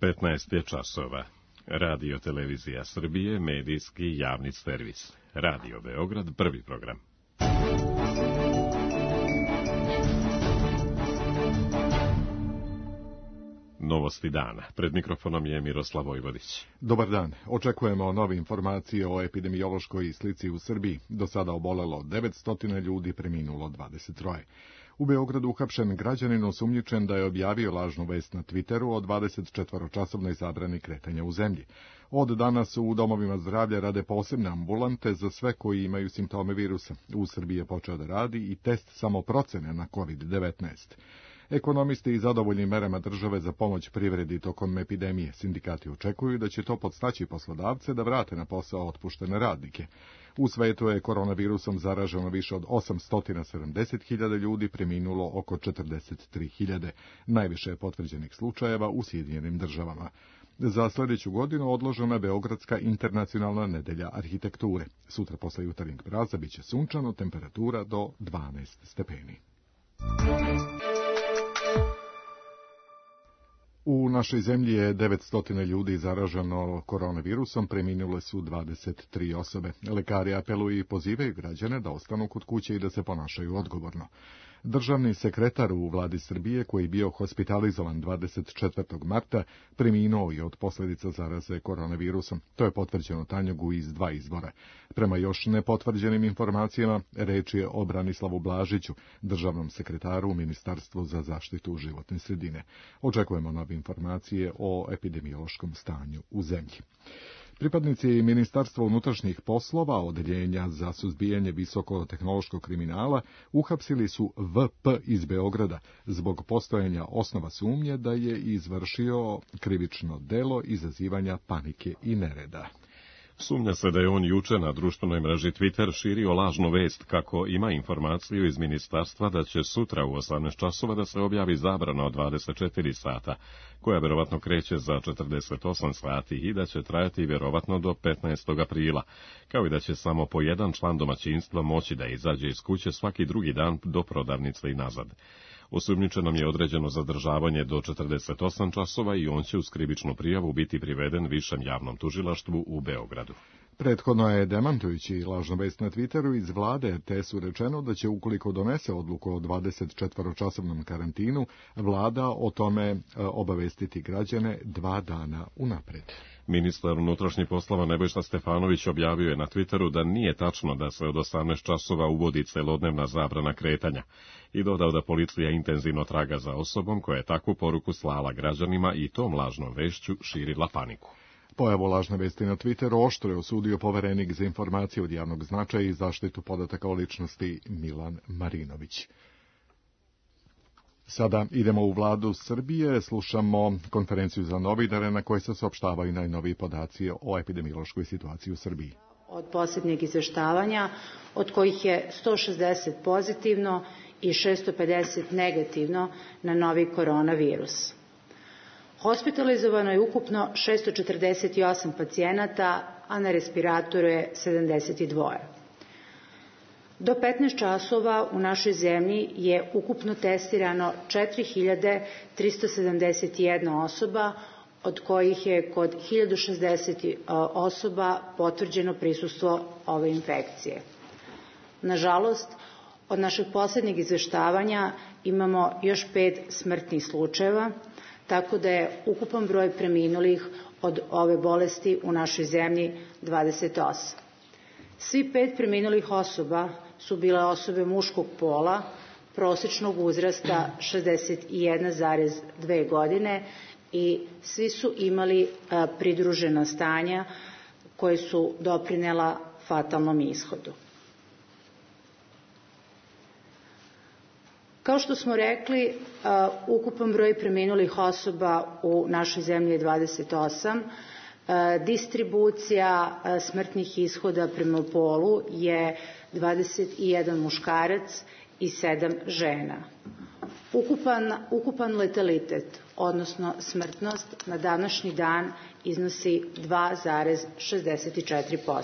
15 je časova. Radio Televizija Srbije, medijski javni servis. Radio Beograd, prvi program. Novosti dana. Pred mikrofonom je Miroslav Vojvodić. Dobar dan. Očekujemo nove informacije o epidemiološkoj slici u Srbiji. Do sada obolelo 900 ljudi, preminulo 23. U Beogradu uhapšen građanin osumnjičen da je objavio lažnu vest na Twitteru o 24-časovnoj zabrani kretanja u zemlji. Od danas u domovima zdravlja rade posebne ambulante za sve koji imaju simptome virusa. U Srbiji je počeo da radi i test samoprocene na COVID-19. Ekonomisti i zadovoljni merama države za pomoć privredi tokom epidemije. Sindikati očekuju da će to podstaći poslodavce da vrate na posao otpuštene radnike. U svetu je koronavirusom zaraženo više od 870.000 ljudi, preminulo oko 43.000. Najviše je potvrđenih slučajeva u Sjedinjenim državama. Za sljedeću godinu odložena je Beogradska internacionalna nedelja arhitekture. Sutra posle jutarnjeg mraza biće sunčano, temperatura do 12 stepeni. U našoj zemlji je 900 ljudi zaraženo koronavirusom, preminule su 23 osobe. Lekari apeluju i pozivaju građane da ostanu kod kuće i da se ponašaju odgovorno. Državni sekretar u vladi Srbije, koji je bio hospitalizovan 24. marta, preminuo je od posljedica zaraze koronavirusom. To je potvrđeno Tanjugu iz 2 izvora. Prema još nepotvrđenim informacijama, reč je o Branislavu Blažiću, državnom sekretaru u Ministarstvu za zaštitu životne sredine. Očekujemo nove informacije o epidemiološkom stanju u zemlji. Pripadnici Ministarstva unutrašnjih poslova, Odeljenja za suzbijanje visokotehnološkog kriminala, uhapsili su VP iz Beograda zbog postojanja osnova sumnje da je izvršio krivično delo izazivanja panike i nereda. Sumnja se da je on juče na društvenoj mreži Twitter širio lažnu vest kako ima informaciju iz ministarstva da će sutra u 18 časova da se objavi zabrana od 24 sata, koja vjerovatno kreće za 48 sati i da će trajati vjerovatno do 15. aprila, kao i da će samo po jedan član domaćinstva moći da izađe iz kuće svaki drugi dan do prodavnice i nazad. Osumnjičenom je određeno zadržavanje do 48 časova i on će uz krivičnu prijavu biti priveden Višem javnom tužilaštvu u Beogradu. Prethodno je, demantujući lažnu vest na Twitteru iz vlade RTS-u rečeno da će, ukoliko donese odluku o 24-časovnom karantinu, vlada o tome obavestiti građane 2 dana unapred. Ministar unutrašnjih poslova Nebojša Stefanović objavio je na Twitteru da nije tačno da se od 18 časova uvodi celodnevna zabrana kretanja i dodao da policija intenzivno traga za osobom koja je takvu poruku slala građanima i tom lažnom vešću širila paniku. Pojavu lažne vesti na Twitteru oštro je osudio poverenik za informacije od javnog značaja i zaštitu podataka o ličnosti Milan Marinović. Sada idemo u vladu Srbije, slušamo konferenciju za novinare na kojoj se saopštavaju najnoviji podaci o epidemiološkoj situaciji u Srbiji. Od posljednjeg izveštavanja, od kojih je 160 pozitivno i 650 negativno na novi koronavirus. Hospitalizovano je ukupno 648 pacijenata, a na respiratoru je 72. Do 15 časova u našoj zemlji je ukupno testirano 4371 osoba, od kojih je kod 1060 osoba potvrđeno prisustvo ove infekcije. Nažalost, od našeg posljednjeg izveštavanja imamo još 5 smrtnih slučajeva, tako da je ukupan broj preminulih od ove bolesti u našoj zemlji 28. Svi 5 preminulih osoba su bile osobe muškog pola, prosječnog uzrasta 61,2 godine i svi su imali pridružena stanja koje su doprinela fatalnom ishodu. Kao što smo rekli, ukupan broj preminulih osoba u našoj zemlji je 28. Distribucija smrtnih ishoda prema polu je 21 muškarac i 7 žena. Ukupan letalitet, odnosno smrtnost, na današnji dan iznosi 2,64%.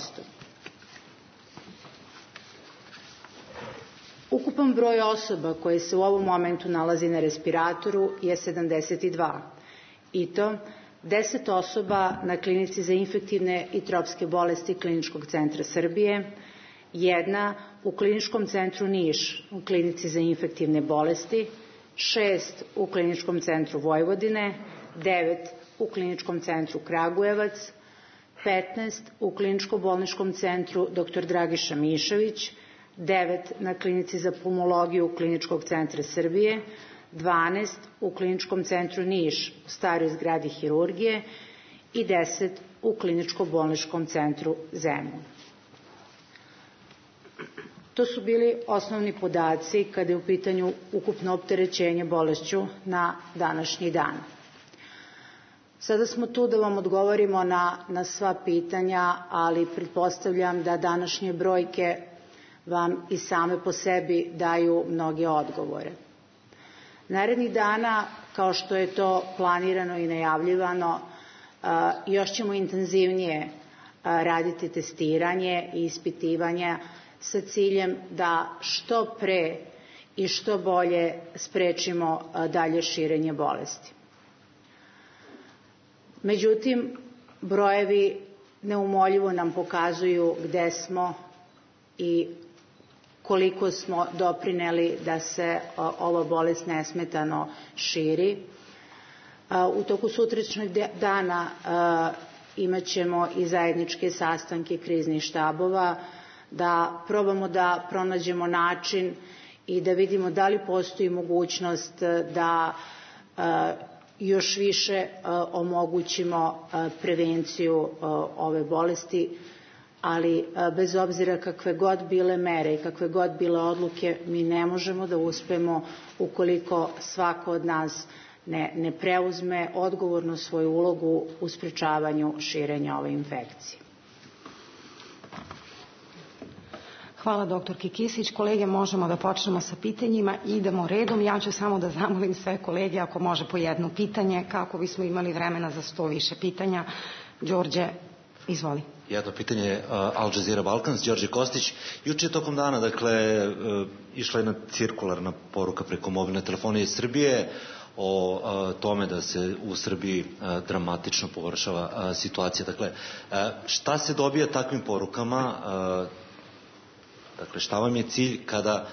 Ukupan broj osoba koje se u ovom momentu nalazi na respiratoru je 72. I to 10 osoba na klinici za infektivne i tropske bolesti Kliničkog centra Srbije, 1 u Kliničkom centru Niš u klinici za infektivne bolesti, 6 u Kliničkom centru Vojvodine, 9 u Kliničkom centru Kragujevac, 15 u Kliničko-bolničkom centru dr. Dragiša Mišović, 9 na klinici za pulmologiju Kliničkog centra Srbije, 12 u Kliničkom centru Niš u staroj zgradi hirurgije i 10 u Kliničko-bolničkom centru Zemun. To su bili osnovni podaci kada je u pitanju ukupno opterećenje bolešću na današnji dan. Sada smo tu da vam odgovorimo na sva pitanja, ali pretpostavljam da današnje brojke vam i same po sebi daju mnoge odgovore. Narednih dana, kao što je to planirano i najavljivano, još ćemo intenzivnije raditi testiranje i ispitivanja sa ciljem da što pre i što bolje sprečimo dalje širenje bolesti. Međutim, brojevi neumoljivo nam pokazuju gde smo i koliko smo doprineli da se ova bolest nesmetano širi. U toku sutrašnjeg dana imat ćemo i zajedničke sastanke kriznih štabova, da probamo da pronađemo način i da vidimo da li postoji mogućnost da još više omogućimo prevenciju ove bolesti, ali bez obzira kakve god bile mere i kakve god bile odluke, mi ne možemo da uspemo ukoliko svako od nas ne preuzme odgovorno svoju ulogu u sprečavanju širenja ove infekcije. Hvala doktorki Kisić. Kolege, možemo da počnemo sa pitanjima i idemo redom. Ja ću samo da zamolim sve kolege ako može po jedno pitanje kako bismo imali vremena za 100 više pitanja. Đorđe, izvoli. Jedno pitanje Al Jazeera Balkans, Đorđe Kostić. Juče tokom dana, išla je cirkularna poruka preko mobilne telefonije Srbije o tome da se u Srbiji dramatično pogoršava situacija. Šta se dobija takvim porukama? Šta vam je cilj kada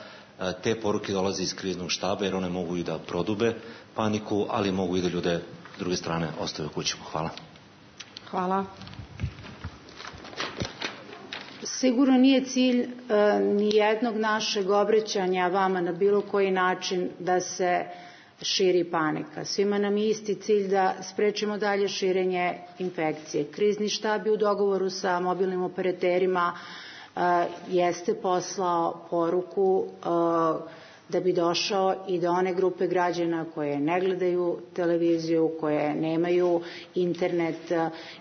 te poruke dolaze iz kriznog štaba, jer one mogu i da prodube paniku, ali mogu i da ljude s druge strane ostave u kućama? Hvala. Hvala. Sigurno nije cilj ni jednog našeg obraćanja vama na bilo koji način da se širi panika. Svima nam je isti cilj da sprečimo dalje širenje infekcije. Krizni štab je u dogovoru sa mobilnim operaterima jeste poslao poruku da bi došao i do one grupe građana koje ne gledaju televiziju, koje nemaju internet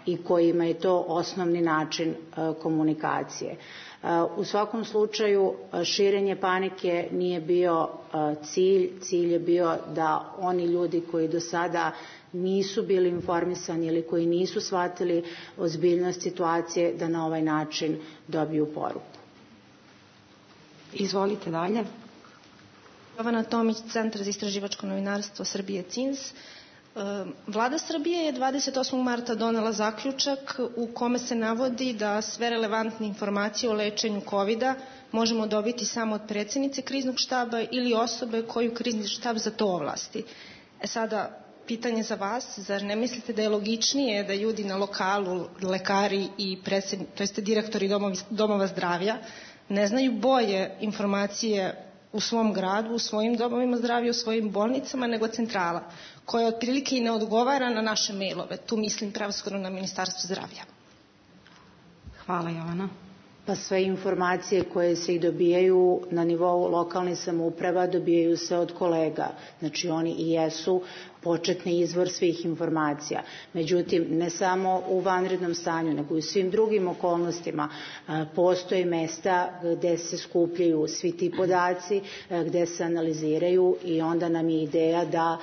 i kojima je to osnovni način komunikacije. U svakom slučaju širenje panike nije bio cilj je bio da oni ljudi koji do sada nisu bili informisani ili koji nisu shvatili ozbiljnost situacije da na ovaj način dobiju poruku. Izvolite dalje. Jovana Tomić, Centar za istraživačko novinarstvo Srbije CINS. Vlada Srbije je 28. marta donela zaključak u kome se navodi da sve relevantne informacije o lečenju COVID-a možemo dobiti samo od predsjednice kriznog štaba ili osobe koju krizni štab za to ovlasti. Sada, pitanje za vas, zar ne mislite da je logičnije da ljudi na lokalu, lekari i direktori domova zdravlja ne znaju bolje informacije u svom gradu, u svojim domovima zdravlja, u svojim bolnicama, nego centrala, koja otprilike i ne odgovara na naše mailove. Tu mislim prevashodno na Ministarstvo zdravlja. Hvala, Jovana. Pa sve informacije koje se i dobijaju na nivou lokalnih samouprava dobijaju se od kolega. Znači oni i jesu početni izvor svih informacija. Međutim, ne samo u vanrednom stanju, nego i u svim drugim okolnostima postoje mesta gde se skupljaju svi ti podaci, gde se analiziraju i onda nam je ideja da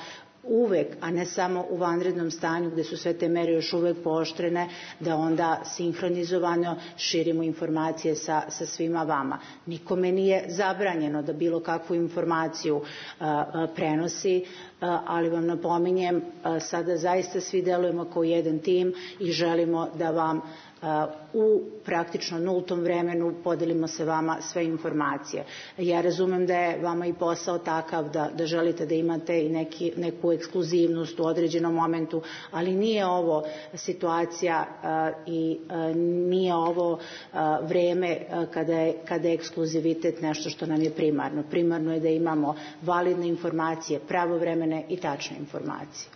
uvek, a ne samo u vanrednom stanju gde su sve te mere još uvek pooštrene, da onda sinhronizovano širimo informacije sa svima vama. Nikome nije zabranjeno da bilo kakvu informaciju prenosi, ali vam napominjem, sada zaista svi delujemo kao jedan tim i želimo da vam u praktično nultom vremenu podelimo se vama sve informacije. Ja razumem da je vama i posao takav da želite da imate i neku ekskluzivnost u određenom momentu, ali nije ovo situacija i nije ovo vreme kada je ekskluzivitet nešto što nam je primarno. Primarno je da imamo validne informacije, pravovremene i tačne informacije.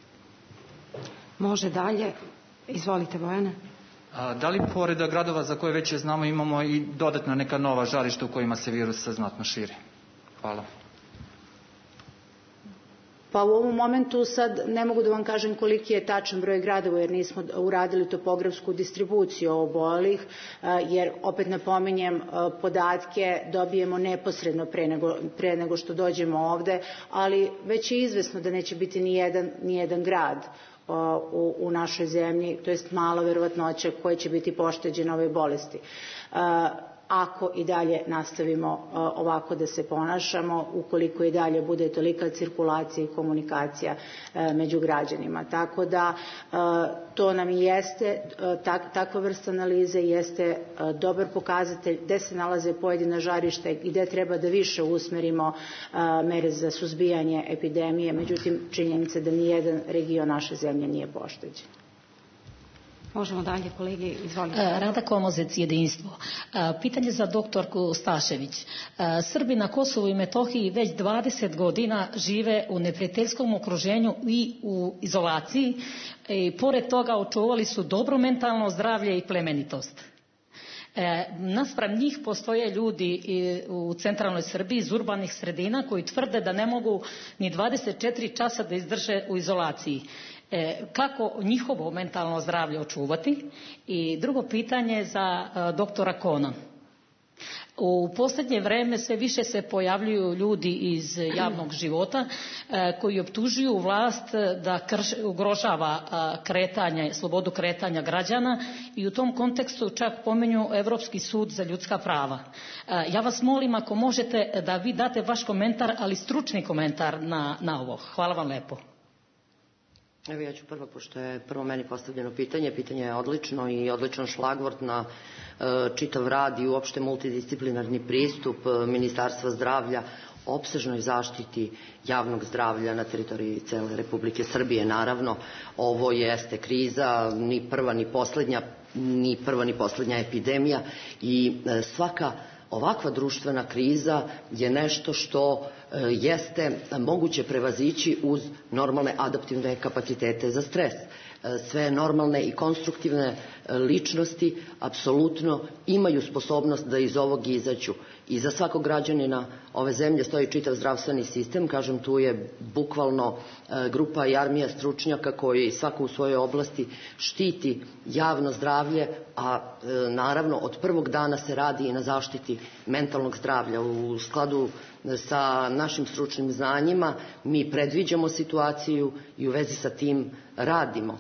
Može dalje. Izvolite, Bojane. Da li pored gradova za koje već znamo imamo i dodatna neka nova žarišta u kojima se virus znatno širi? Hvala. Pa u ovom momentu sad ne mogu da vam kažem koliki je tačan broj gradova jer nismo uradili topografsku distribuciju obolelih, jer opet napominjem podatke dobijemo neposredno pre nego što dođemo ovde, ali već je izvesno da neće biti ni jedan grad u našoj zemlji, to jest mala verovatnoća koja će biti pošteđena ove bolesti. Ako i dalje nastavimo ovako da se ponašamo, ukoliko i dalje bude tolika cirkulacija i komunikacija među građanima. Tako da to nam i jeste, takva vrsta analize jeste dobar pokazatelj gde se nalaze pojedina žarišta i gde treba da više usmerimo mere za suzbijanje epidemije, međutim činjenica da nijedan region naše zemlje nije pošteđen. Možemo dalje, kolege, izvolite. Rada Komozec, Jedinstvo. Pitanje za doktorku Stašević. Srbi na Kosovu i Metohiji već 20 godina žive u neprijateljskom okruženju i u izolaciji i pored toga očuvali su dobro mentalno zdravlje i plemenitost. Naspram njih postoje ljudi u centralnoj Srbiji iz urbanih sredina koji tvrde da ne mogu ni 24 časa da izdrže u izolaciji. Kako njihovo mentalno zdravlje očuvati? I drugo pitanje za doktora Kona. U posljednje vreme sve više se pojavljuju ljudi iz javnog života koji optužuju vlast da ugrožava slobodu kretanja građana i u tom kontekstu čak pominju Evropski sud za ljudska prava. Ja vas molim ako možete da vi date vaš komentar, ali stručni komentar na ovo. Hvala vam lepo. Evo ja ću prvo, pošto je prvo meni postavljeno pitanje je odlično i odličan šlagvort na čitav rad i uopšte multidisciplinarni pristup Ministarstva zdravlja opsežnoj zaštiti javnog zdravlja na teritoriji cele Republike Srbije. Naravno, ovo jeste kriza, ni prva ni poslednja epidemija i svaka ovakva društvena kriza je nešto što jeste moguće prevazići uz normalne adaptivne kapacitete za stres. Sve normalne i konstruktivne ličnosti apsolutno imaju sposobnost da iz ovog izađu. I za svakog građanina ove zemlje stoji čitav zdravstveni sistem, kažem tu je bukvalno grupa i armija stručnjaka koji svako u svojoj oblasti štiti javno zdravlje, a naravno od prvog dana se radi i na zaštiti mentalnog zdravlja. U skladu sa našim stručnim znanjima mi predviđamo situaciju i u vezi sa tim radimo.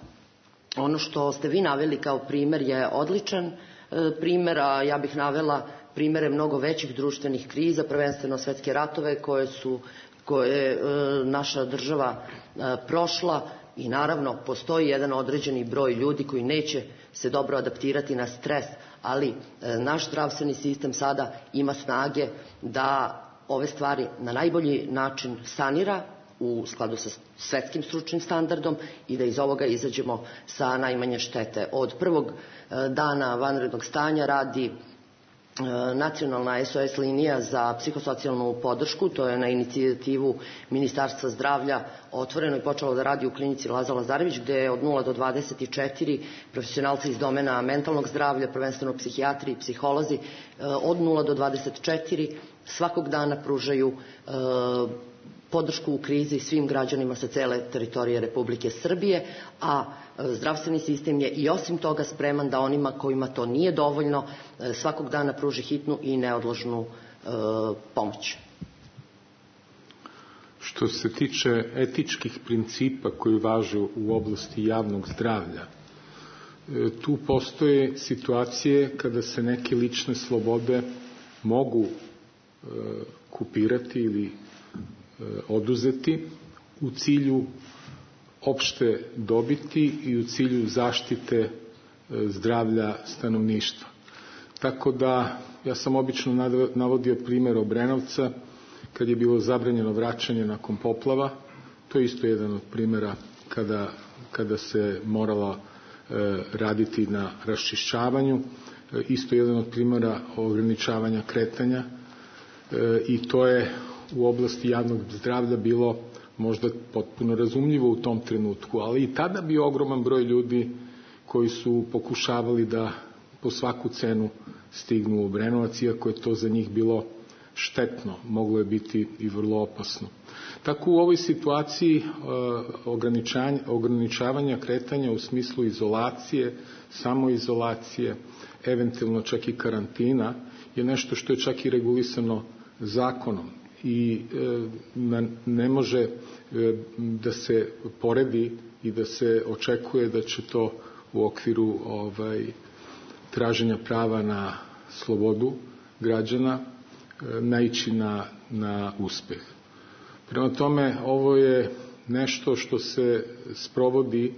Ono što ste vi naveli kao primer je odličan primer, a ja bih navela primere mnogo većih društvenih kriza, prvenstveno svetske ratove koje je naša država prošla i naravno postoji jedan određeni broj ljudi koji neće se dobro adaptirati na stres, ali naš zdravstveni sistem sada ima snage da ove stvari na najbolji način sanira u skladu sa svetskim stručnim standardom i da iz ovoga izađemo sa najmanje štete. Od prvog dana vanrednog stanja radi nacionalna SOS linija za psihosocijalnu podršku, to je na inicijativu Ministarstva zdravlja otvoreno i počelo da radi u klinici Laza Lazarević, gde je od 0 do 24 profesionalci iz domena mentalnog zdravlja, prvenstveno psihijatri i psiholozi, od 0 do 24 svakog dana pružaju podršku u krizi svim građanima sa cele teritorije Republike Srbije, a zdravstveni sistem je i osim toga spreman da onima kojima to nije dovoljno svakog dana pruži hitnu i neodložnu pomoć. Što Što se tiče etičkih principa koji važe u oblasti javnog zdravlja, tu postoje situacije kada se neke lične slobode mogu kupirati ili oduzeti u cilju opšte dobiti i u cilju zaštite zdravlja stanovništva. Tako da, ja sam obično navodio primjer Obrenovca, kad je bilo zabranjeno vraćanje nakon poplava. To je isto jedan od primjera kada se moralo raditi na raščišćavanju, isto jedan od primjera ograničavanja kretanja, i to je u oblasti javnog zdravlja bilo možda potpuno razumljivo u tom trenutku, ali i tada bio ogroman broj ljudi koji su pokušavali da po svaku cenu stignu u Obrenovac, iako je to za njih bilo štetno, moglo je biti i vrlo opasno. Tako u ovoj situaciji ograničavanja kretanja u smislu izolacije, samoizolacije, eventualno čak i karantina, je nešto što je čak i regulisano zakonom i ne može da se poredi i da se očekuje da će to u okviru traženja prava na slobodu građana naići na uspeh. Prema tome, ovo je nešto što se sprovodi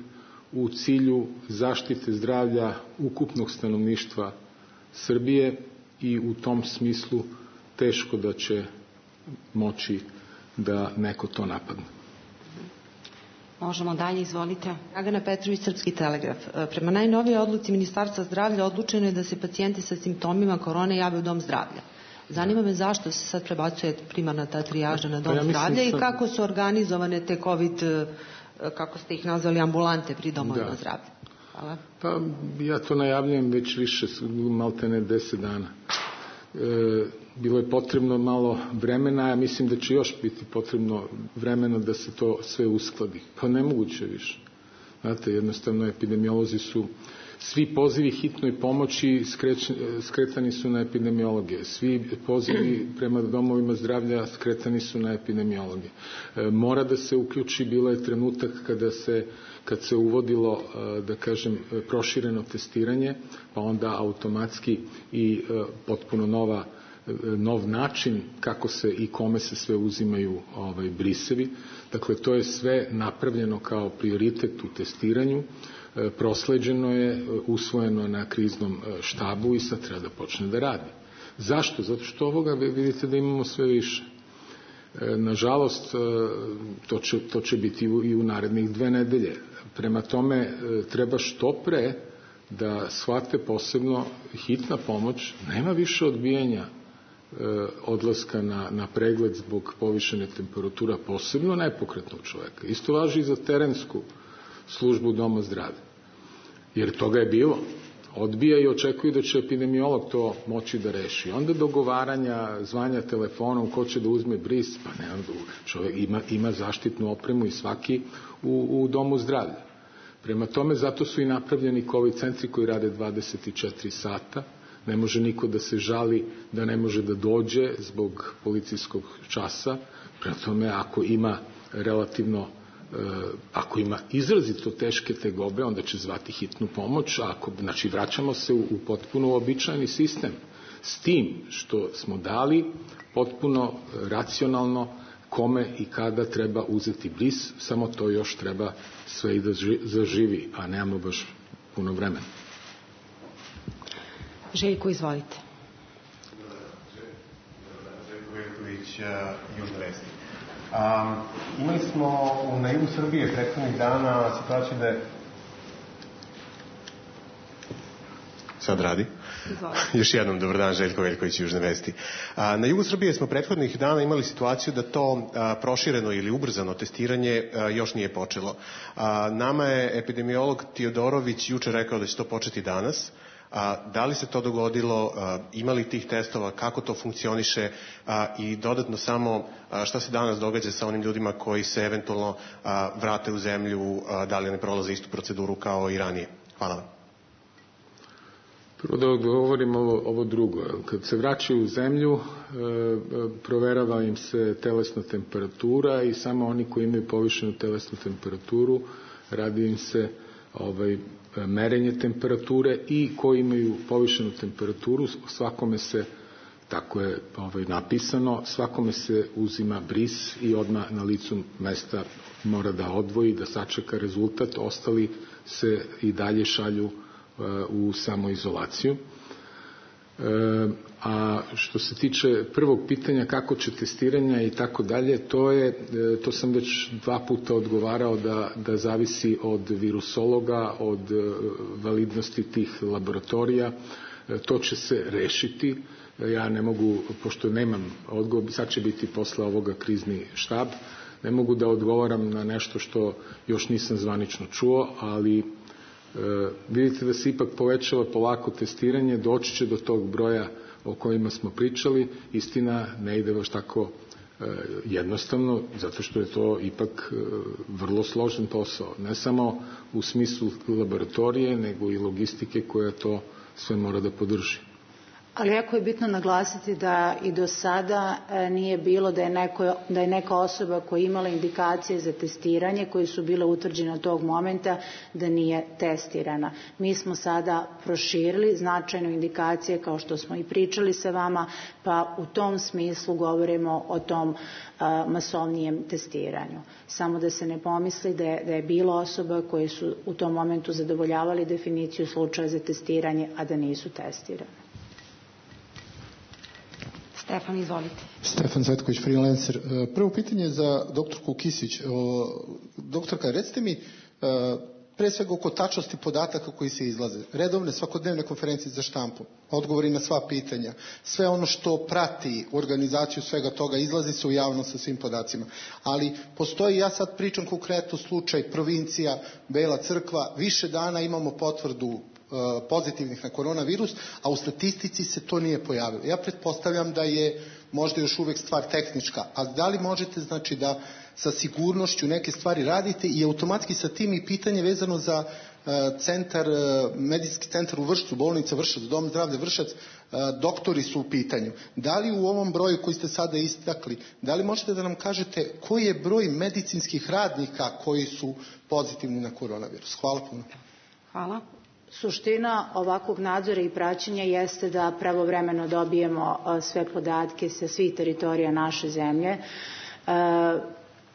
u cilju zaštite zdravlja ukupnog stanovništva Srbije i u tom smislu teško da će moći da neko to napadne. Možemo dalje, izvolite. Dragana Petrović, Srpski telegraf. Prema najnovijoj odluci Ministarstva zdravlja odlučeno je da se pacijenti sa simptomima korone jave u dom zdravlja. Zanima me zašto se sad prebacuje primarna ta trijaža na dom zdravlja i kako su organizovane te COVID, kako ste ih nazvali, ambulante pri domovima zdravlja. Hvala. Pa ja to najavljujem već više, maltene 10 dana. Bilo je potrebno malo vremena, ja mislim da će još biti potrebno vremena da se to sve uskladi. Pa nemoguće više. Znate, jednostavno epidemiolozi su, svi pozivi hitnoj pomoći skretani su na epidemiologe. Svi pozivi prema domovima zdravlja skretani su na epidemiologe. Mora da se uključi, bilo je trenutak kad se uvodilo, da kažem, prošireno testiranje, pa onda automatski i potpuno nov način kako se i kome se sve uzimaju brisevi. Dakle, to je sve napravljeno kao prioritet u testiranju, prosleđeno je, usvojeno na kriznom štabu i sad treba da počne da radi. Zašto? Zato što ovoga vidite da imamo sve više. Nažalost, to će biti i u narednih 2 nedelje. Prema tome, treba što pre da shvate, posebno hitna pomoć, nema više odbijanja odlaska na pregled zbog povišene temperatura, posebno nepokretnog čoveka. Isto važi i za terensku službu doma zdravlja. Jer toga je bilo. Odbija i očekuju da će epidemiolog to moći da reši. Onda dogovaranja, zvanja telefonom, ko će da uzme bris, pa ne, čovjek ima zaštitnu opremu i svaki u domu zdravlja. Prema tome, zato su i napravljeni COVID centri koji rade 24 sata. Ne može niko da se žali da ne može da dođe zbog policijskog časa. Prema tome, ako ima izrazito teške tegobe, onda će zvati hitnu pomoć, znači vraćamo se u potpuno uobičajeni sistem. S tim što smo dali potpuno racionalno kome i kada treba uzeti bris, samo to još treba sve i da zaživi, a nemamo baš puno vremena. Željko, izvolite. Željko Veljković, Južne vesti. Imali smo na jugu Srbije prethodnih dana situaciju da je... Sad radi? Još jednom, dobar dan, Željko Veljković, Južne vesti. Na jugu Srbije smo prethodnih dana imali situaciju da to prošireno ili ubrzano testiranje još nije počelo. Nama je epidemiolog Tiodorović juče rekao da će to početi danas. Da li se to dogodilo, ima li tih testova, kako to funkcioniše i dodatno samo šta se danas događa sa onim ljudima koji se eventualno vrate u zemlju, da li ne prolaze istu proceduru kao i ranije? Hvala vam. Prvo da odgovorim ovo drugo. Kad se vraćaju u zemlju, proverava im se telesna temperatura i samo oni koji imaju povišenu telesnu temperaturu radi im se merenje temperature i koji imaju povišenu temperaturu, svakome se, tako je napisano, svakome se uzima bris i odmah na licu mesta mora da odvoji, da sačeka rezultat, ostali se i dalje šalju u samoizolaciju. A što se tiče prvog pitanja kako će testiranja i tako dalje, to sam već 2 puta odgovarao da zavisi od virusologa, od validnosti tih laboratorija. To će se rešiti. Ja ne mogu, pošto nemam odgovor, sad će biti posle ovoga krizni štab, ne mogu da odgovaram na nešto što još nisam zvanično čuo, ali vidite da se ipak povećava polako testiranje, doći će do tog broja o kojima smo pričali. Istina, ne ide baš tako jednostavno, zato što je to ipak vrlo složen posao. Ne samo u smislu laboratorije, nego i logistike koja to sve mora da podrži. Ali jako je bitno naglasiti da i do sada nije bilo da je neka osoba koja je imala indikacije za testiranje, koje su bile utvrđene od tog momenta, da nije testirana. Mi smo sada proširili značajno indikacije, kao što smo i pričali sa vama, pa u tom smislu govorimo o tom masovnijem testiranju. Samo da se ne pomisli da je bilo osoba koje su u tom momentu zadovoljavali definiciju slučaja za testiranje, a da nisu testirane. Stefan, izvolite. Stefan Cvetković, freelancer. Prvo pitanje za doktorku Kisić. Doktorka, recite mi pre svega oko tačnosti podataka koji se izlaze. Redovne svakodnevne konferencije za štampu, odgovori na sva pitanja, sve ono što prati organizaciju svega toga, izlazi se u javnost sa svim podacima. Ali postoji, ja sad pričam konkretno slučaj provincija, Bela Crkva, više dana imamo potvrdu pozitivnih na koronavirus, a u statistici se to nije pojavilo. Ja pretpostavljam da je možda još uvek stvar tehnička, a da li možete znači da sa sigurnošću neke stvari radite i automatski sa tim i pitanje vezano za medicinski centar u Vršcu, bolnica Vršac, dom zdravlja Vršac, doktori su u pitanju. Da li u ovom broju koji ste sada istakli, da li možete da nam kažete koji je broj medicinskih radnika koji su pozitivni na koronavirus? Hvala puno. Hvala. Suština ovakvog nadzora i praćenja jeste da pravovremeno dobijemo sve podatke sa svih teritorija naše zemlje.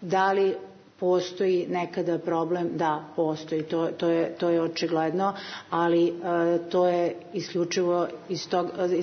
Da li postoji nekada problem? Da, postoji, to je očigledno, ali to je isključivo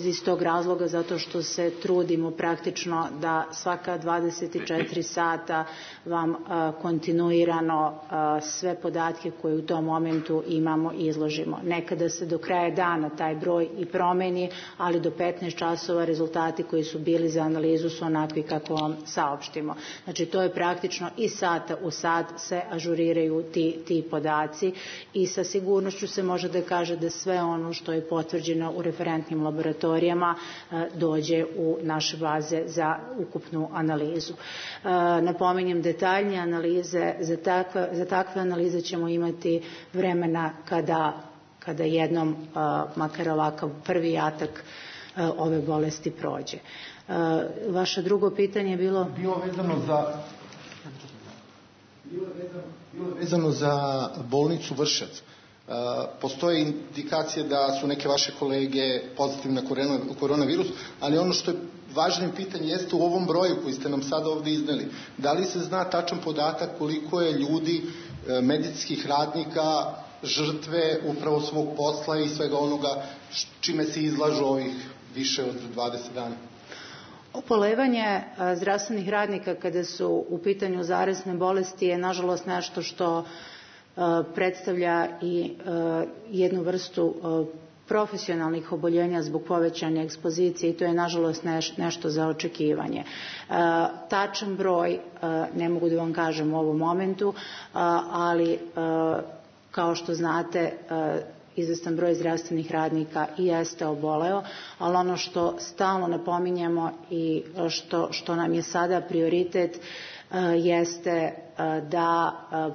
iz tog razloga zato što se trudimo praktično da svaka 24 sata vam kontinuirano sve podatke koje u tom momentu imamo izložimo. Nekada se do kraja dana taj broj i promeni, ali do 15 časova rezultati koji su bili za analizu su onakvi kako vam saopštimo. Znači to je praktično i sata u sat se ažuriraju ti podaci i sa sigurnošću se može da kaže da sve ono što je potvrđeno u referentnim laboratorijama dođe u naše baze za ukupnu analizu. Napominjem, detaljnije analize, za takve analize ćemo imati vremena kada jednom, makar ovakav prvi atak ove bolesti prođe. Vaše drugo pitanje je bilo vezano za bolnicu Vršac. Postoje indikacije da su neke vaše kolege pozitivne na koronavirus, ali ono što je važno pitanje jeste u ovom broju koji ste nam sada ovdje izneli. Da li se zna tačan podatak koliko je ljudi, medicinskih radnika, žrtve upravo svog posla i svega onoga čime se izlažu ovih više od 20 dana? Obolevanje zdravstvenih radnika kada su u pitanju zarazne bolesti je nažalost nešto što predstavlja i jednu vrstu profesionalnih oboljenja zbog povećane ekspozicije i to je nažalost nešto za očekivanje. Tačan broj ne mogu da vam kažem u ovom momentu, ali kao što znate izvestan broj zdravstvenih radnika i jeste oboleo, ali ono što stalno napominjemo i što nam je sada prioritet, jeste da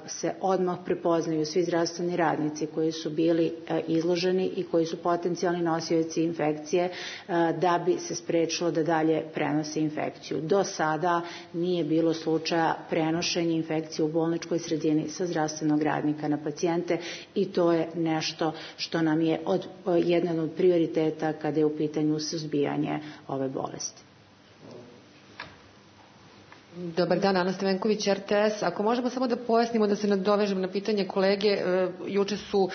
se odmah prepoznaju svi zdravstveni radnici koji su bili izloženi i koji su potencijalni nosioci infekcije da bi se sprečilo da dalje prenose infekciju. Do sada nije bilo slučaja prenošenja infekcije u bolničkoj sredini sa zdravstvenog radnika na pacijente i to je nešto što nam je jedan od prioriteta kada je u pitanju suzbijanje ove bolesti. Dobar dan, Ana Stevenković, RTS. Ako možemo samo da pojasnimo, da se nadovežem na pitanje kolege, juče su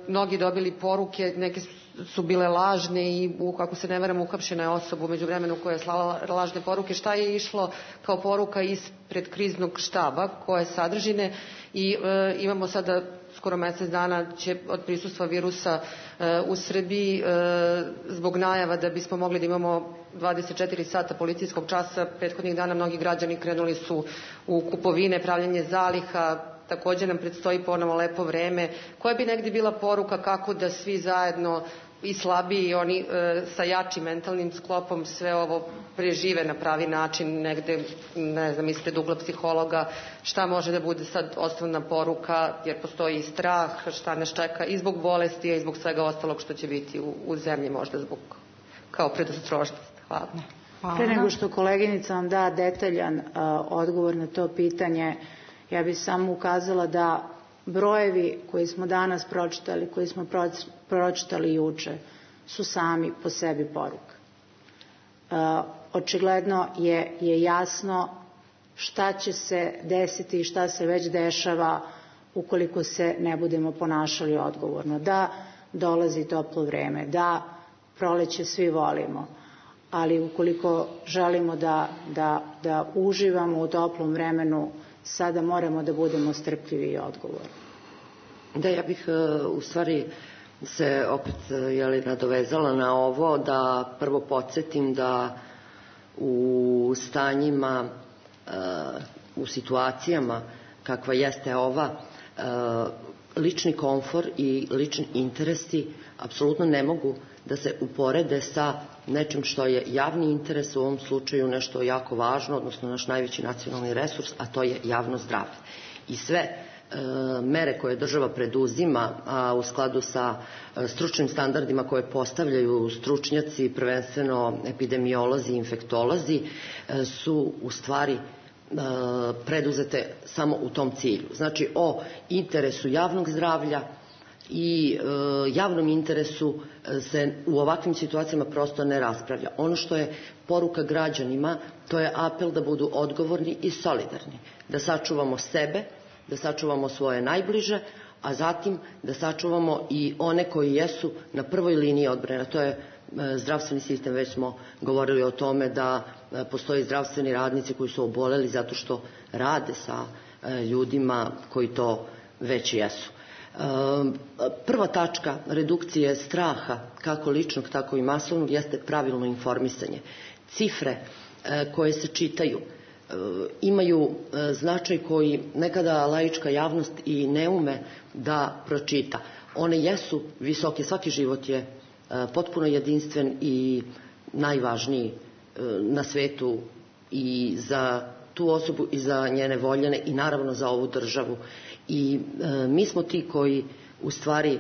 mnogi dobili poruke, neke su bile lažne i, ako se ne varam, uhapšena je osoba u međuvremenu koja je slala lažne poruke. Šta je išlo kao poruka ispred kriznog štaba, koje sadržine, i imamo sada skoro mesec dana će od prisustva virusa u Srbiji zbog najava da bismo mogli da imamo 24 sata policijskog časa. Prethodnih dana mnogi građani krenuli su u kupovine, pravljanje zaliha, takođe nam predstoji ponovo lepo vreme. Koja bi negdje bila poruka kako da svi zajedno, i slabiji i oni sa jačim mentalnim sklopom, sve ovo prežive na pravi način, negde, ne znam, ispred ugla psihologa, šta može da bude sad osnovna poruka, jer postoji i strah, šta nas čeka i zbog bolesti, i zbog svega ostalog što će biti u zemlji, možda zbog kao predostrožnost. Hvala. Pre nego što koleginica vam da detaljan odgovor na to pitanje, ja bih samo ukazala da brojevi koji smo danas pročitali, koji smo pročitali juče, su sami po sebi poruka. Očigledno je jasno šta će se desiti i šta se već dešava ukoliko se ne budemo ponašali odgovorno. Da dolazi toplo vreme, da proleće svi volimo, ali ukoliko želimo da uživamo u toplom vremenu, sada moramo da budemo strpljivi i odgovorni. Da, ja bih u stvari se opet nadovezala na ovo, da prvo podsjetim da u stanjima, u situacijama kakva jeste ova, lični komfor i lični interesi apsolutno ne mogu da se uporede sa nečim što je javni interes, u ovom slučaju nešto jako važno, odnosno naš najveći nacionalni resurs, a to je javno zdravlje. I sve mere koje država preduzima, a u skladu sa stručnim standardima koje postavljaju stručnjaci, prvenstveno epidemiolozi i infektolozi, su u stvari preduzete samo u tom cilju. Znači, o interesu javnog zdravlja i javnom interesu se u ovakvim situacijama prosto ne raspravlja. Ono što je poruka građanima, to je apel da budu odgovorni i solidarni, da sačuvamo sebe, da sačuvamo svoje najbliže, a zatim da sačuvamo i one koji jesu na prvoj liniji odbrane. To je zdravstveni sistem, već smo govorili o tome da postoji zdravstveni radnici koji su oboleli zato što rade sa ljudima koji to već jesu. Prva tačka redukcije straha, kako ličnog, tako i masovnog, jeste pravilno informisanje. Cifre koje se čitaju imaju značaj koji nekada laička javnost i ne ume da pročita. One jesu visoke, svaki život je potpuno jedinstven i najvažniji na svetu i za tu osobu i za njene voljene i naravno za ovu državu. I mi smo ti koji u stvari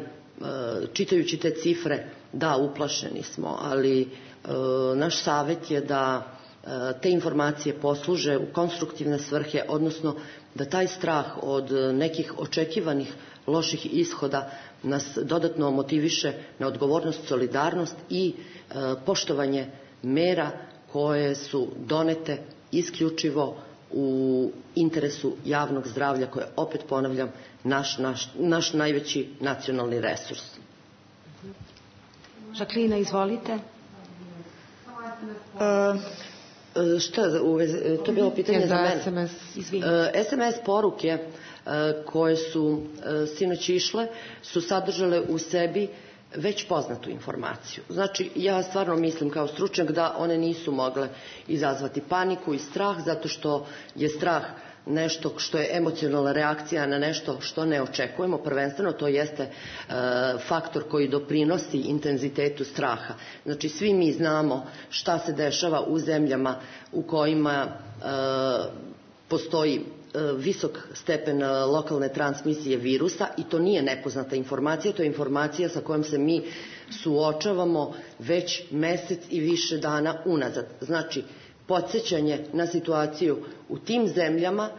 čitajući te cifre, da, uplašeni smo, ali naš savjet je da te informacije posluže u konstruktivne svrhe, odnosno da taj strah od nekih očekivanih loših ishoda nas dodatno motiviše na odgovornost, solidarnost i poštovanje mera koje su donete isključivo u interesu javnog zdravlja, koje, opet ponavljam, naš najveći nacionalni resurs. Žaklina, izvolite. Šta, to je bilo pitanje za mene. SMS poruke koje su sinoć išle su sadržale u sebi već poznatu informaciju. Znači, ja stvarno mislim kao stručnjak da one nisu mogle izazvati paniku i strah, zato što je strah nešto što je emocionalna reakcija na nešto što ne očekujemo. Prvenstveno to jeste faktor koji doprinosi intenzitetu straha. Znači, svi mi znamo šta se dešava u zemljama u kojima postoji visok stepen lokalne transmisije virusa i to nije nepoznata informacija, to je informacija sa kojom se mi suočavamo već mesec i više dana unazad. Znači, podsjećanje na situaciju u tim zemljama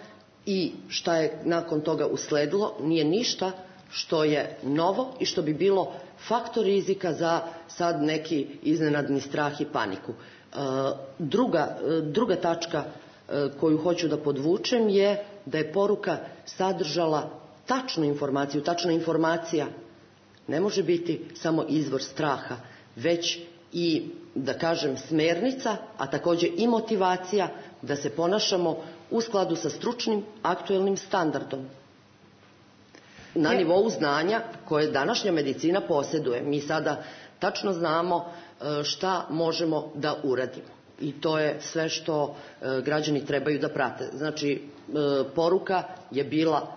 i šta je nakon toga usledilo nije ništa što je novo i što bi bilo faktor rizika za sad neki iznenadni strah i paniku. Druga tačka koju hoću da podvučem je da je poruka sadržala tačnu informaciju. Tačna informacija ne može biti samo izvor straha, već i, da kažem, smernica, a također i motivacija da se ponašamo u skladu sa stručnim aktuelnim standardom na nivou znanja koje današnja medicina posjeduje. Mi sada tačno znamo šta možemo da uradimo i to je sve što građani trebaju da prate. Znači, poruka je bila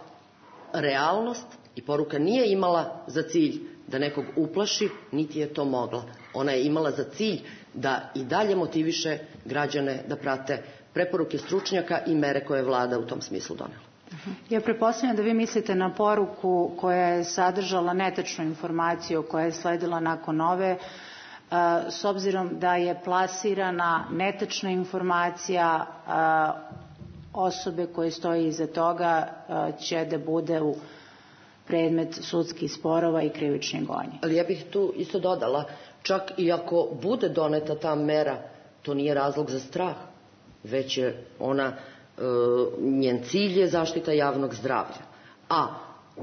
realnost i poruka nije imala za cilj da nekog uplaši, niti je to mogla. Ona je imala za cilj da i dalje motiviše građane da prate preporuke stručnjaka i mere koje je vlada u tom smislu donela. Ja pretpostavljam da vi mislite na poruku koja je sadržala netačnu informaciju koja je sledila nakon ove, s obzirom da je plasirana netačna informacija, osobe koje stoji iza toga će da bude u predmet sudskih sporova i krivičnih gonji. Ali ja bih tu isto dodala, čak i ako bude doneta ta mera, to nije razlog za strah, već je ona, njen cilj je zaštita javnog zdravlja. A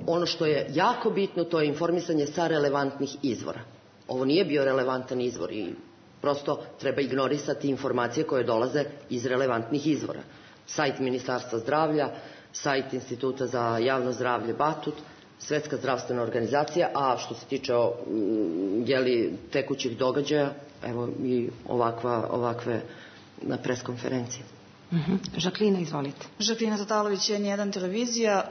ono što je jako bitno, to je informisanje sa relevantnih izvora. Ovo nije bio relevantan izvor i prosto treba ignorisati informacije koje dolaze iz relevantnih izvora. Sajt Ministarstva zdravlja, sajt Instituta za javno zdravlje Batut, Svetska zdravstvena organizacija, a što se tiče tekućih događaja, evo i ovakve preskonferencije. Žaklina, izvolite. Žaklina Tatalović, N1 televizija.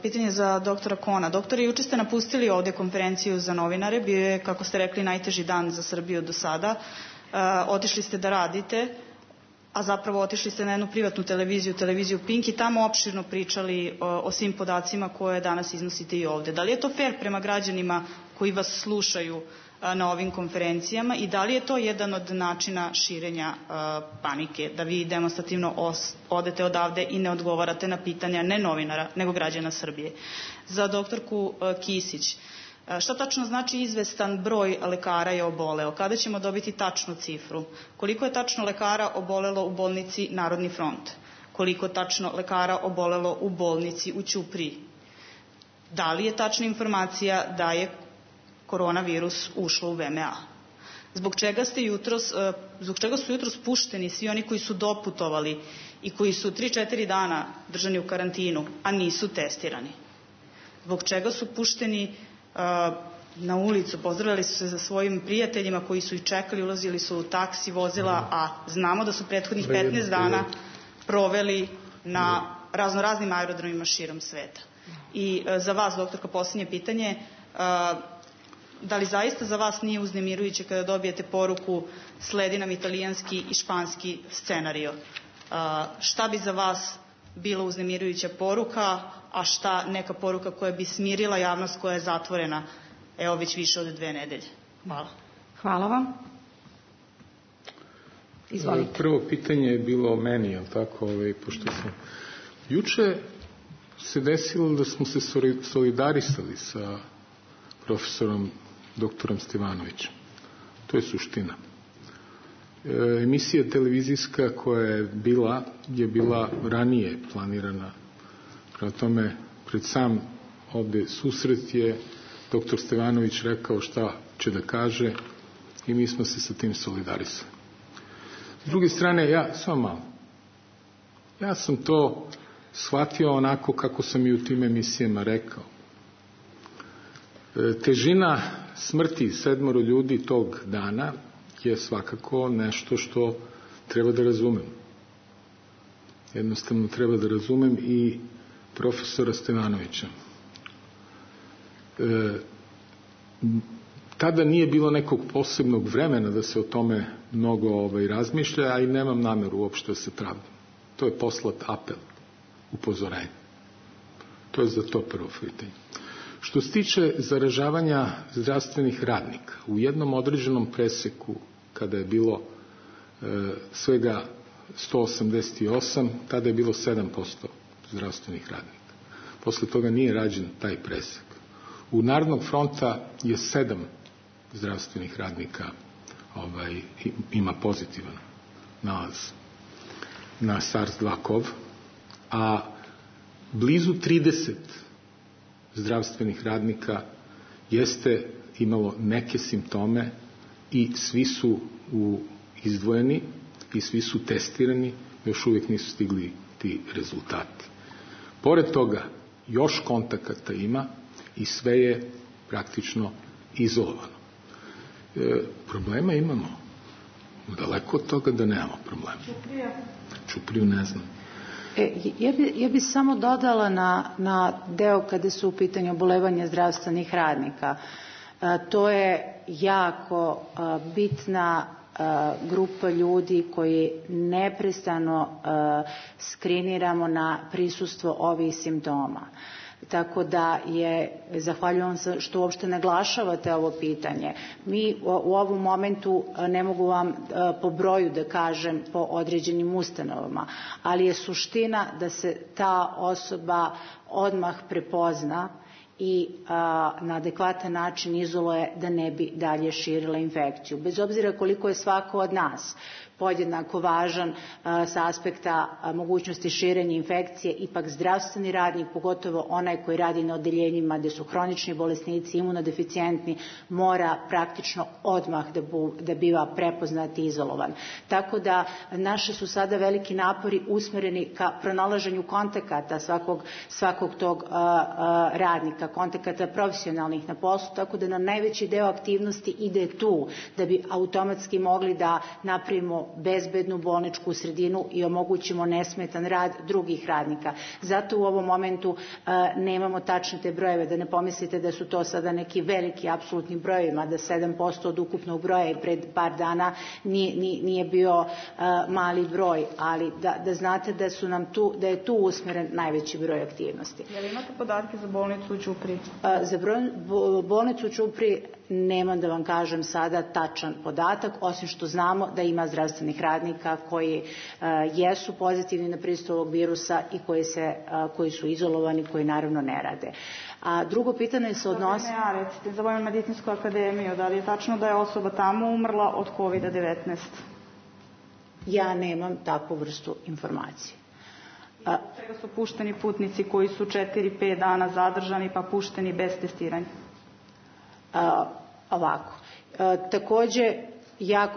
Pitanje za doktora Kona. Doktore, juče ste napustili ovdje konferenciju za novinare. Bio je, kako ste rekli, najteži dan za Srbiju do sada. Otišli ste da radite, a zapravo otišli ste na jednu privatnu televiziju Pink i tamo opširno pričali o svim podacima koje danas iznosite i ovdje. Da li je to fair prema građanima koji vas slušaju na ovim konferencijama i da li je to jedan od načina širenja panike, da vi demonstrativno odete odavde i ne odgovarate na pitanja ne novinara, nego građana Srbije? Za doktorku Kisić, šta tačno znači izvestan broj lekara je oboleo? Kada ćemo dobiti tačnu cifru? Koliko je tačno lekara obolelo u bolnici Narodni front? Koliko tačno lekara obolelo u bolnici u Ćupriji? Da li je tačna informacija da je koronavirus ušlo u VMA? Zbog čega su jutros pušteni svi oni koji su doputovali i koji su 3-4 dana držani u karantinu, a nisu testirani? Zbog čega su pušteni na ulicu, pozdravljali su se za svojim prijateljima koji su ih čekali, ulazili su u taksi, vozila, a znamo da su prethodnih 15 dana proveli na raznoraznim aerodromima širom sveta. I za vas, doktorka, posljednje pitanje, da li zaista za vas nije uznemirujuće kada dobijete poruku sledi nam italijanski i španski scenario? Šta bi za vas bila uznemirujuća poruka, a šta neka poruka koja bi smirila javnost koja je zatvorena evo već više od 2 nedelje? Hvala. Hvala vam. Izvolite. Prvo pitanje je bilo o meni, jel tako? Pošto sam juče se desilo da smo se solidarisali sa profesorom doktorom Stevanovićem. To je suština. Emisija televizijska koja je bila ranije planirana. Prema tome, pred sam ovdje susret je doktor Stevanović rekao šta će da kaže i mi smo se sa tim solidarisali. S druge strane, ja sam to shvatio onako kako sam i u tim emisijama rekao. Težina smrti 7 ljudi tog dana je svakako nešto što treba da razumem. Jednostavno treba da razumem i profesora Stevanovića. Tada nije bilo nekog posebnog vremena da se o tome mnogo razmišlja, a i nemam nameru uopšte da se pravdam. To je poslat apel. upozorenje. To je za to prvo pitanje. Što se tiče zaražavanja zdravstvenih radnika, u jednom određenom preseku, kada je bilo svega 188, tada je bilo 7% zdravstvenih radnika. Posle toga nije rađen taj presek. U Narodnog fronta je 7 zdravstvenih radnika ima pozitivan nalaz na SARS-2 a blizu 30 zdravstvenih radnika jeste imalo neke simptome i svi su izdvojeni i svi su testirani, još uvijek nisu stigli ti rezultati. Pored toga, još kontakata ima i sve je praktično izolovano. Problema imamo. Daleko od toga da nemamo problema. Čupriju ne znam. Ja bi samo dodala na deo kada su u pitanju obolevanja zdravstvenih radnika. To je jako bitna grupa ljudi koji neprestano skriniramo na prisustvo ovih simptoma. Tako da zahvaljujem se što uopšte naglašavate ovo pitanje. Mi u ovom momentu, ne mogu vam po broju da kažem po određenim ustanovama, ali je suština da se ta osoba odmah prepozna i na adekvatan način izoluje da ne bi dalje širila infekciju. Bez obzira koliko je svako od nas podjednako važan sa aspekta mogućnosti širenja infekcije, ipak zdravstveni radnik, pogotovo onaj koji radi na odeljenjima gdje su hronični bolesnici, imunodeficijentni, mora praktično odmah da biva prepoznat i izolovan. Tako da naši su sada veliki napori usmjereni ka pronalaženju kontakata svakog tog radnika, kontakata profesionalnih na poslu, tako da nam najveći deo aktivnosti ide tu, da bi automatski mogli da napravimo bezbednu bolničku sredinu i omogućimo nesmetan rad drugih radnika. Zato u ovom momentu nemamo tačne te brojeve, da ne pomislite da su to sada neki veliki apsolutni brojevima, da 7% od ukupnog broja i pred par dana nije bio mali broj, ali da znate da je tu usmjeren najveći broj aktivnosti. Je li imate podatke za bolnicu u Ćupriji? Za bolnicu u Ćupriji nemam da vam kažem sada tačan podatak, osim što znamo da ima zdravstvenih radnika koji jesu pozitivni na prisustvo ovog virusa i koji su izolovani, koji naravno ne rade. A drugo pitanje se odnosi... Recite, za Vojnu medicinsku akademiju, da li je tačno da je osoba tamo umrla od COVID-19? Ja nemam takvu vrstu informacije. Čega su pušteni putnici koji su 4-5 dana zadržani pa pušteni bez testiranja? Ovako. Također,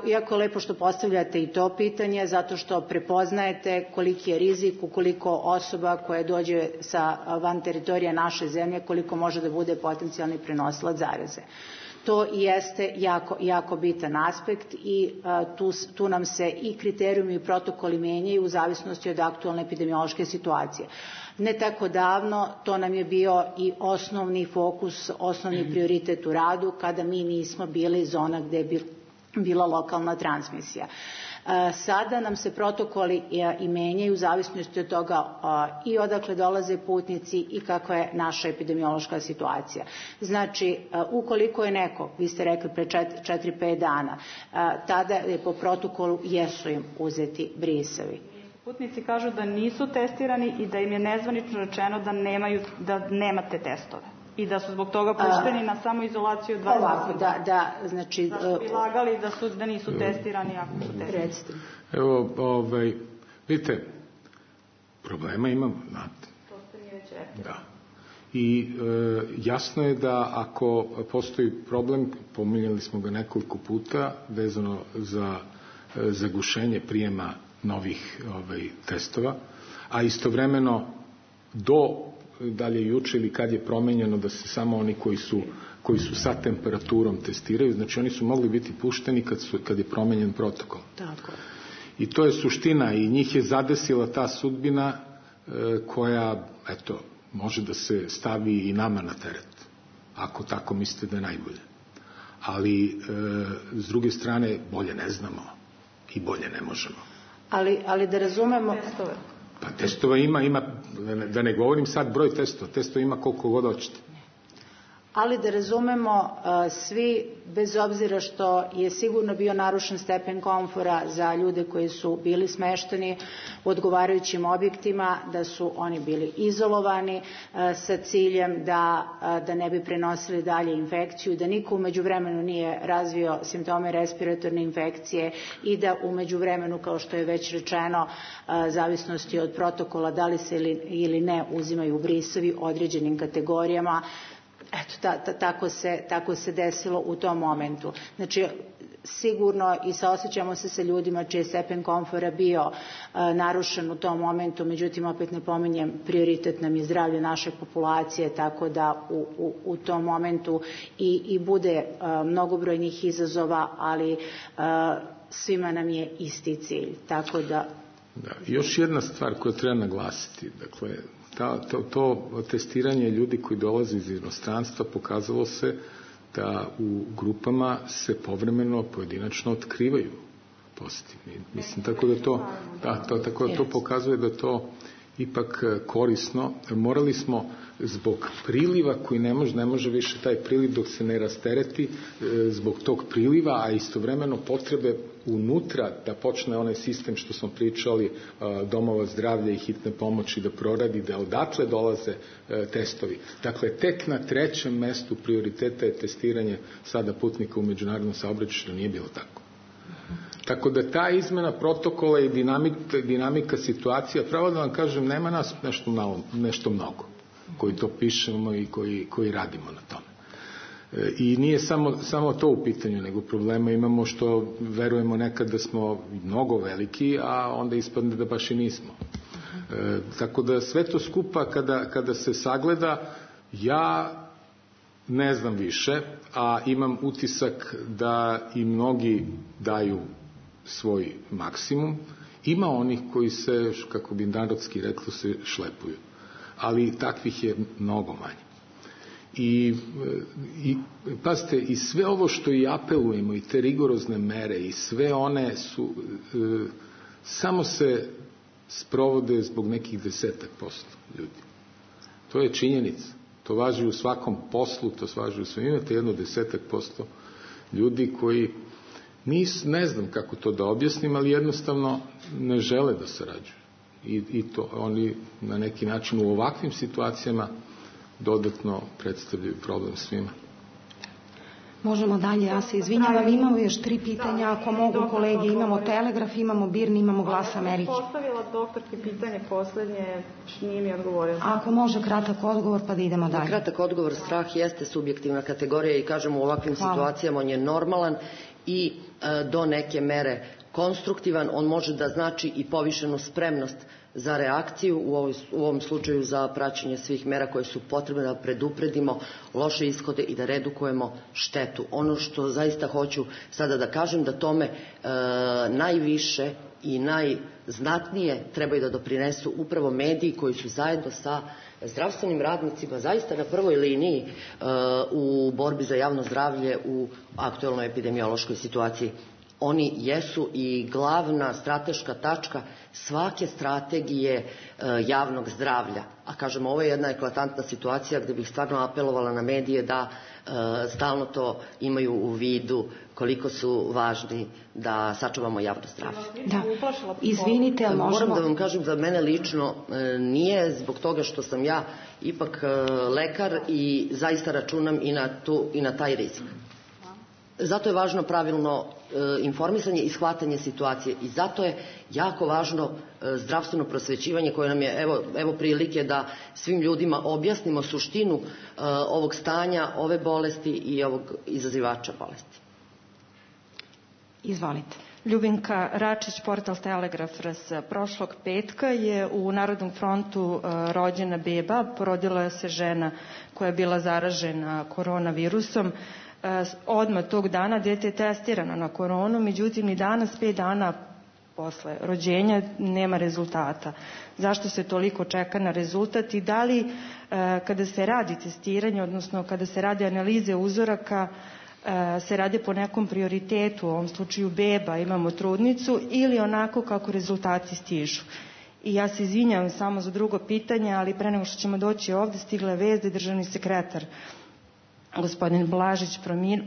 jako lepo što postavljate i to pitanje, zato što prepoznajete koliki je rizik ukoliko osoba koja dođe van teritorija naše zemlje, koliko može da bude potencijalni prenosilac zaraze. To jeste jako bitan aspekt i tu nam se i kriterijumi i protokoli menjaju u zavisnosti od aktualne epidemiološke situacije. Ne tako davno to nam je bio i osnovni fokus, osnovni prioritet u radu kada mi nismo bili zona gdje je bila lokalna transmisija. Sada nam se protokoli i menjaju u zavisnosti od toga i odakle dolaze putnici i kakva je naša epidemiološka situacija. Znači, ukoliko je neko, vi ste rekli pre 4-5 dana, tada je po protokolu jesu im uzeti brisevi. Putnici kažu da nisu testirani i da im je nezvanično rečeno da nemate testove i da su zbog toga pušteni na samoizolaciju 20 dana. Znači... Da su bi lagali da nisu testirani ako su testirani. Evo, vidite, problema imamo, znate. To ste mi već rekli. Da. I jasno je da ako postoji problem, pominjali smo ga nekoliko puta, vezano za zagušenje prijema novih testova, a istovremeno dalje juče ili kad je promenjeno da se samo oni koji su sa temperaturom testiraju, znači oni su mogli biti pušteni kad je promenjen protokol. Tako. I to je suština i njih je zadesila ta sudbina koja, eto, može da se stavi i nama na teret, ako tako mislite da je najbolje. Ali, s druge strane, bolje ne znamo i bolje ne možemo. Ali da razumemo... Pa testova ima, da ne govorim sad broj testova ima koliko god hoćete. Ali da razumemo svi, bez obzira što je sigurno bio narušen stepen komfora za ljude koji su bili smešteni u odgovarajućim objektima, da su oni bili izolovani sa ciljem da ne bi prenosili dalje infekciju, da niko u međuvremenu nije razvio simptome respiratorne infekcije i da u međuvremenu, kao što je već rečeno, zavisnosti od protokola da li se ili ne uzimaju brisovi određenim kategorijama. Eto, tako se desilo u tom momentu. Znači, sigurno i saosećamo se sa ljudima čiji je stepen komfora bio narušen u tom momentu, međutim, opet napominjem, prioritet nam je zdravlje naše populacije, tako da u tom momentu i bude mnogobrojnih izazova, ali svima nam je isti cilj. Tako da... Još jedna stvar koju treba naglasiti, dakle, to testiranje ljudi koji dolaze iz inostranstva pokazalo se da u grupama se povremeno pojedinačno otkrivaju pozitivni. Mislim, tako da to pokazuje da to ipak korisno. Morali smo zbog priliva koji ne može više taj priliv dok se ne rastereti, zbog tog priliva, a istovremeno potrebe unutra da počne onaj sistem što smo pričali, domova zdravlja i hitne pomoći da proradi, da odatle dolaze testovi. Dakle, tek na 3. mestu prioriteta je testiranje sada putnika u međunarodnom saobraćaju, što nije bilo tako. Tako da ta izmena protokola i dinamika situacija, pravo da vam kažem, nema nas nešto mnogo koji to pišemo i koji radimo na tome. I nije samo to u pitanju, nego problema imamo što verujemo nekad da smo mnogo veliki, a onda ispadne da baš i nismo. Tako da sve to skupa kada se sagleda, ja ne znam više, a imam utisak da i mnogi daju svoj maksimum. Ima onih koji se, kako bi narodski reklo, se šlepuju. Ali takvih je mnogo manje. I pazite, i sve ovo što i apelujemo, i te rigorozne mere, i sve one su, samo se sprovode zbog nekih 10% ljudi. To je činjenica. To važi u svakom poslu, to važi u svem. Imate 10% ljudi koji ne znam kako to da objasnim, ali jednostavno ne žele da sarađuju. I to oni na neki način u ovakvim situacijama dodatno predstavljaju problem svima. Možemo dalje, ja se izvinjavam, imamo još 3 pitanja, ako mogu kolege, imamo Telegraf, imamo Birn, imamo Glas Amerike. Postavila doktorki pitanje poslednje, nije mi odgovorila. Ako može kratak odgovor, pa da idemo dalje. Kratak odgovor, strah jeste subjektivna kategorija i kažem u ovakvim situacijama on je normalan i do neke mere konstruktivan, on može da znači i povišenu spremnost za reakciju, u ovom slučaju za praćenje svih mera koje su potrebne da predupredimo loše ishode i da redukujemo štetu. Ono što zaista hoću sada da kažem, da tome najviše i najznatnije trebaju da doprinesu upravo mediji koji su zajedno sa zdravstvenim radnicima zaista na prvoj liniji u borbi za javno zdravlje u aktuelnoj epidemiološkoj situaciji. Oni jesu i glavna strateška tačka svake strategije javnog zdravlja. A kažem, ovo je jedna eklatantna situacija gde bih stvarno apelovala na medije da stalno to imaju u vidu koliko su važni da sačuvamo javno zdravlje. Da, izvinite, ali možemo... Moram da vam kažem, za mene lično nije zbog toga što sam ja ipak lekar i zaista računam i na taj rizik. Zato je važno pravilno informisanje i shvatanje situacije i zato je jako važno zdravstveno prosvećivanje koje nam je evo prilike da svim ljudima objasnimo suštinu ovog stanja, ove bolesti i ovog izazivača bolesti. Izvolite. Ljubinka Račić, portal Telegraf RS. Prošlog petka je u Narodnom frontu rođena beba, porodila se žena koja je bila zaražena koronavirusom. Odmah tog dana dete je testirano na koronu, međutim i danas 5 dana posle rođenja nema rezultata. Zašto se toliko čeka na rezultat i da li kada se radi testiranje, odnosno kada se radi analize uzoraka, se radi po nekom prioritetu, u ovom slučaju beba, imamo trudnicu, ili onako kako rezultati stižu? I ja se izvinjam samo za drugo pitanje, ali pre nego što ćemo doći ovde, stigla je vest da je državni sekretar gospodin Blažić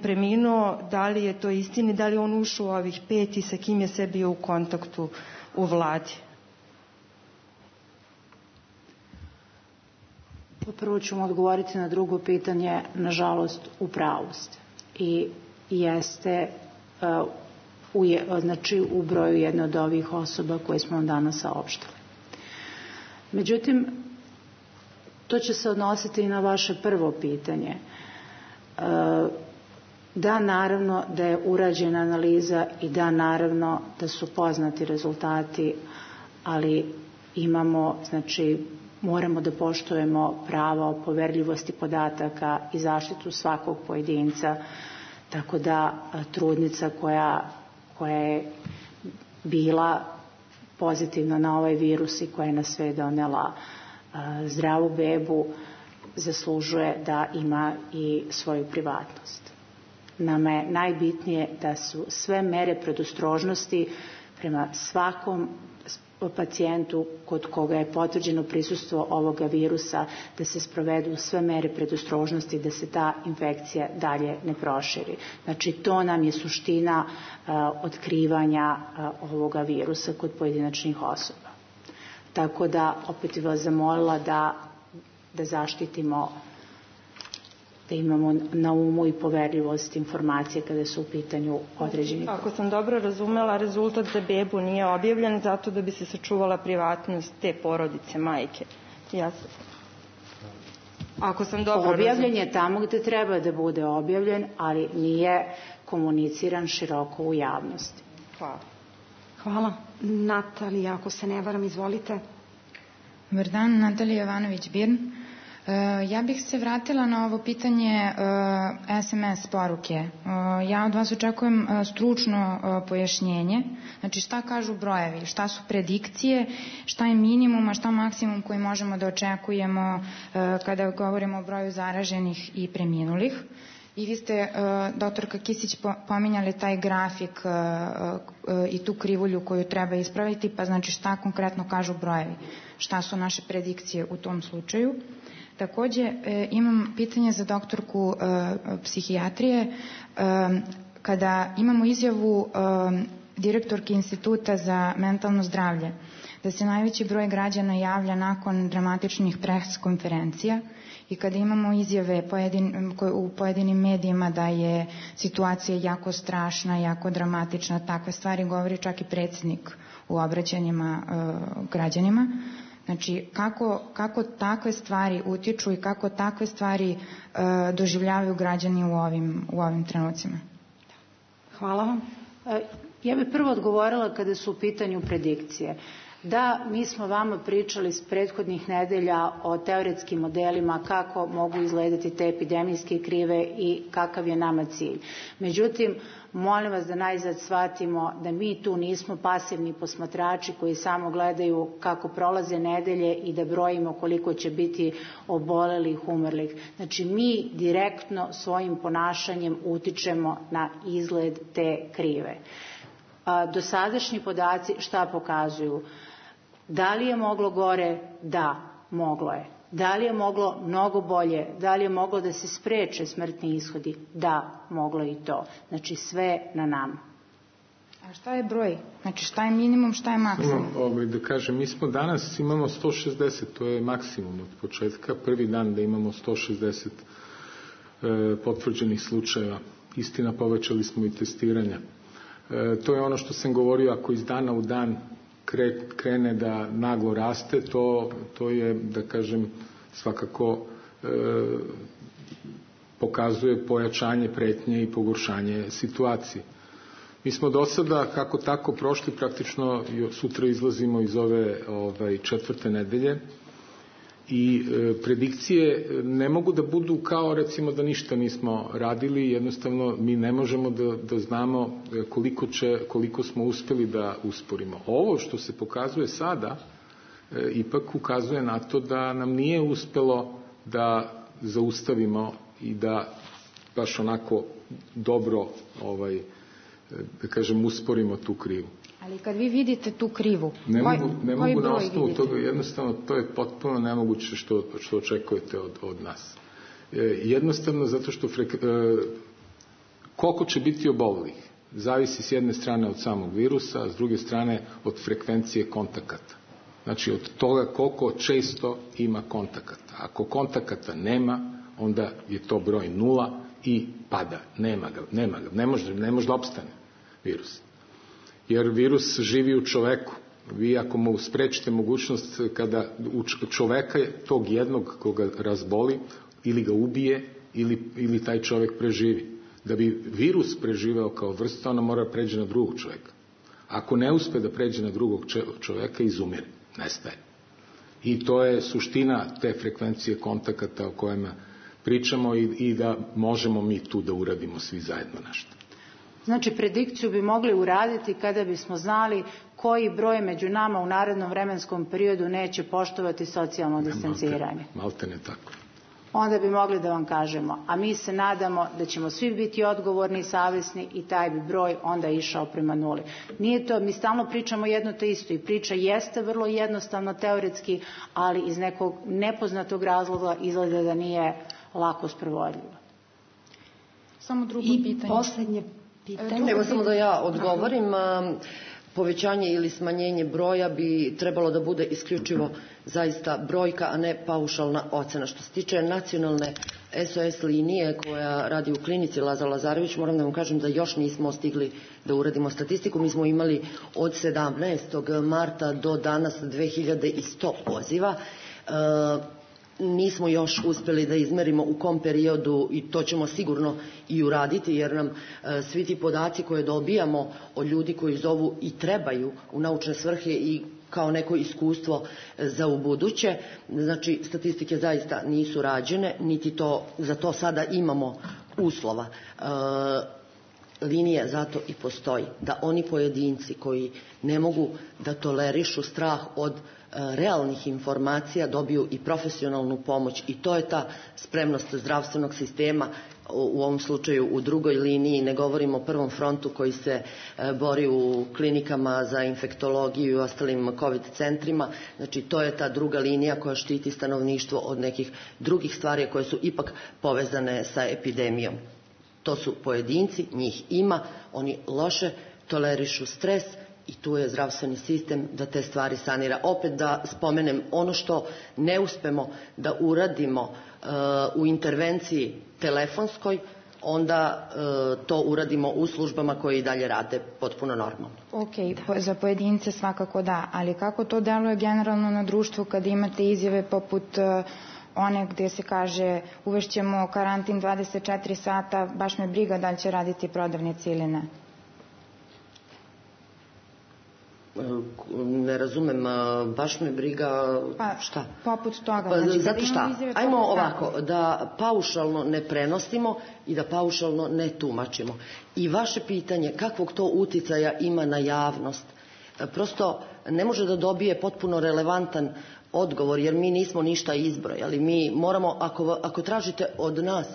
preminuo. Da li je to istina i da li on ušao u ovih 5 i sa kim je sve bio u kontaktu u vladi? Prvo ću mu odgovoriti na drugo pitanje. Nažalost, u pravu ste. I jeste u broju jedne od ovih osoba koje smo vam danas saopštili. Međutim, to će se odnositi i na vaše prvo pitanje. Da, naravno da je urađena analiza i da, naravno da su poznati rezultati, ali moramo da poštujemo prava o poverljivosti podataka i zaštitu svakog pojedinca, tako da trudnica koja je bila pozitivna na ovaj virus i koja je na sve donela zdravu bebu, zaslužuje da ima i svoju privatnost. Nama je najbitnije da su sve mere predostrožnosti prema svakom pacijentu kod koga je potvrđeno prisustvo ovoga virusa, da se sprovedu sve mere predostrožnosti da se ta infekcija dalje ne proširi. Znači, to nam je suština otkrivanja ovoga virusa kod pojedinačnih osoba. Tako da, opet bih vas zamolila da zaštitimo, da imamo na umu i poverljivost informacije kada su u pitanju određeni. Ako sam dobro razumela, rezultat za bebu nije objavljen zato da bi se sačuvala privatnost te porodice, majke. Ako sam dobro razumela. Objavljen je tamo gde treba da bude objavljen, ali nije komuniciran široko u javnosti. Hvala. Hvala. Natalija, ako se ne varam, izvolite. Dobar dan, Natalija Jovanović-Birn. Ja bih se vratila na ovo pitanje SMS poruke. Ja od vas očekujem stručno pojašnjenje. Znači, šta kažu brojevi, šta su predikcije, šta je minimum, a šta maksimum koji možemo da očekujemo kada govorimo o broju zaraženih i preminulih. I vi ste, doktorka Kisić, pominjali taj grafik i tu krivulju koju treba ispraviti, pa znači šta konkretno kažu brojevi, šta su naše predikcije u tom slučaju. Takođe, imam pitanje za doktorku psihijatrije. Kada imamo izjavu direktorke Instituta za mentalno zdravlje, da se najveći broj građana javlja nakon dramatičnih pres konferencija i kada imamo izjave u pojedinim medijima da je situacija jako strašna, jako dramatična, takve stvari govori čak i predsjednik u obraćanjima građanima. Znači, kako takve stvari utiču i kako takve stvari doživljavaju građani u ovim trenucima? Hvala vam. Ja bih prvo odgovorila kada su u pitanju predikcije. Da, mi smo vama pričali s prethodnih nedelja o teoretskim modelima kako mogu izgledati te epidemijske krive i kakav je nama cilj. Međutim, molim vas da najzad shvatimo da mi tu nismo pasivni posmatrači koji samo gledaju kako prolaze nedelje i da brojimo koliko će biti obolelih, umrlih. Znači, mi direktno svojim ponašanjem utičemo na izgled te krive. Dosadašnji podaci šta pokazuju? Da li je moglo gore? Da, moglo je. Da li je moglo mnogo bolje? Da li je moglo da se spreče smrtni ishodi? Da, moglo je i to. Znači, sve na nama. A šta je broj? Znači, šta je minimum, šta je maksimum? Da kažem, mi smo danas imamo 160, to je maksimum od početka. Prvi dan da imamo 160 potvrđenih slučajeva. Istina, povećali smo i testiranja. To je ono što sam govorio, ako iz dana u dan krene da naglo raste, to je, da kažem, svakako pokazuje pojačanje pretnje i pogoršanje situacije. Mi smo do sada, kako tako, prošli praktično, sutra izlazimo iz ove četvrte nedelje i predikcije ne mogu da budu kao, recimo, da ništa nismo radili, jednostavno mi ne možemo da znamo koliko smo uspeli da usporimo. Ovo što se pokazuje sada ipak ukazuje na to da nam nije uspelo da zaustavimo i da baš onako dobro, da kažem, usporimo tu krivu. Ali kad vi vidite tu krivu, ne mogu na osnovu toga, jednostavno to je potpuno nemoguće što očekujete od nas. Jednostavno zato što koliko će biti obolelih zavisi s jedne strane od samog virusa, a s druge strane od frekvencije kontakata. Znači od toga koliko često ima kontakata. Ako kontakata nema, onda je to broj 0 i pada. Nema ga. Ne može da opstane virus. Jer virus živi u čoveku. Vi ako mu sprečite mogućnost kada čoveka tog jednog koga razboli, ili ga ubije, ili taj čovek preživi. Da bi virus preživeo kao vrsta, ona mora pređe na drugog čoveka. Ako ne uspe da pređe na drugog čoveka, izumire, nestaje. I to je suština te frekvencije kontakata o kojima pričamo i da možemo mi tu da uradimo svi zajedno nešto. Znači, predikciju bi mogli uraditi kada bismo znali koji broj među nama u narednom vremenskom periodu neće poštovati socijalno distanciranje. Maltene tako. Onda bi mogli da vam kažemo, a mi se nadamo da ćemo svi biti odgovorni i savjesni i taj bi broj onda išao prema 0. Nije to, mi stalno pričamo jedno te isto i priča jeste vrlo jednostavno teoretski, ali iz nekog nepoznatog razloga izgleda da nije lako sprovodljivo. Samo drugo pitanje. I posljednje pitanje. Evo samo da ja odgovorim. Povećanje ili smanjenje broja bi trebalo da bude isključivo zaista brojka, a ne paušalna ocena. Što se tiče nacionalne SOS linije koja radi u klinici Lazar Lazarević, moram da vam kažem da još nismo stigli da uradimo statistiku. Mi smo imali od 17. marta do danas 2100 poziva. Nismo još uspjeli da izmerimo u kom periodu i to ćemo sigurno i uraditi jer nam svi ti podaci koje dobijamo od ljudi koji zovu i trebaju u naučne svrhe i kao neko iskustvo za ubuduće. Znači, statistike zaista nisu rađene, niti za to sada imamo uslova. Linija zato i postoji, da oni pojedinci koji ne mogu da tolerišu strah od realnih informacija dobiju i profesionalnu pomoć i to je ta spremnost zdravstvenog sistema, u ovom slučaju u drugoj liniji, ne govorimo o prvom frontu koji se bori u klinikama za infektologiju i ostalim COVID centrima. Znači to je ta druga linija koja štiti stanovništvo od nekih drugih stvari koje su ipak povezane sa epidemijom. To su pojedinci, njih ima, oni loše tolerišu stres i tu je zdravstveni sistem da te stvari sanira. Opet da spomenem ono što ne uspemo da uradimo u intervenciji telefonskoj, onda to uradimo u službama koje i dalje rade potpuno normalno. Ok, za pojedince svakako da, ali kako to deluje generalno na društvu kad imate izjave poput one gdje se kaže uvešćemo karantin 24 sata, baš me briga da li će raditi prodavnici ili ne? Ne razumem, baš me briga šta? Poput toga. Znači, zato šta? Ajmo ovako, da paušalno ne prenosimo i da paušalno ne tumačimo. I vaše pitanje kakvog to uticaja ima na javnost, prosto ne može da dobije potpuno relevantan odgovor, jer mi nismo ništa izbrojali. Mi moramo, ako tražite od nas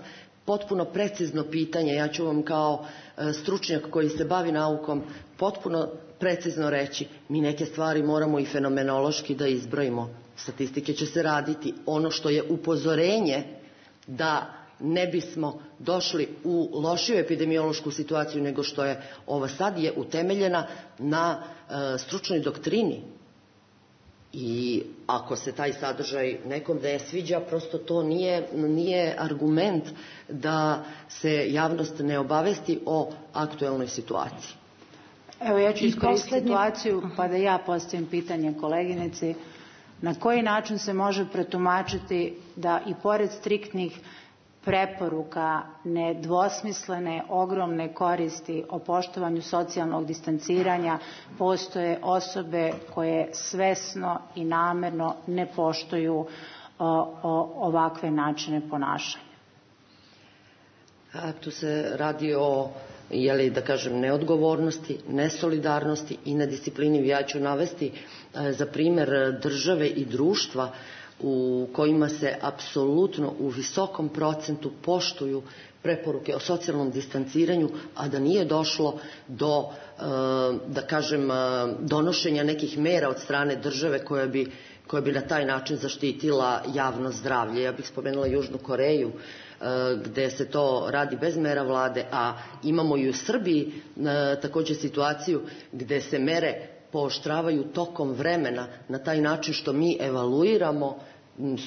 potpuno precizno pitanje, ja ću vam kao stručnjak koji se bavi naukom potpuno precizno reći, mi neke stvari moramo i fenomenološki da izbrojimo. Statistike će se raditi. Ono što je upozorenje da ne bismo došli u lošiju epidemiološku situaciju nego što je ova sad, je utemeljena na stručnoj doktrini. I ako se taj sadržaj nekom ne sviđa, prosto to nije argument da se javnost ne obavesti o aktuelnoj situaciji. Evo, ja ću iskoristiti situaciju pa da ja postavim pitanje koleginici. Na koji način se može pretumačiti da i pored striktnih preporuka, nedvosmislene, ogromne koristi o poštovanju socijalnog distanciranja, postoje osobe koje svesno i namerno ne poštuju ovakve načine ponašanja? Tu se radi o, da kažem, neodgovornosti, nesolidarnosti i nedisciplini. Ja ću navesti za primjer države i društva u kojima se apsolutno u visokom procentu poštuju preporuke o socijalnom distanciranju, a da nije došlo do, da kažem, donošenja nekih mera od strane države koja bi na taj način zaštitila javno zdravlje. Ja bih spomenula Južnu Koreju, gde se to radi bez mera vlade, a imamo i u Srbiji također situaciju gde se mere pooštravaju tokom vremena na taj način što mi evaluiramo,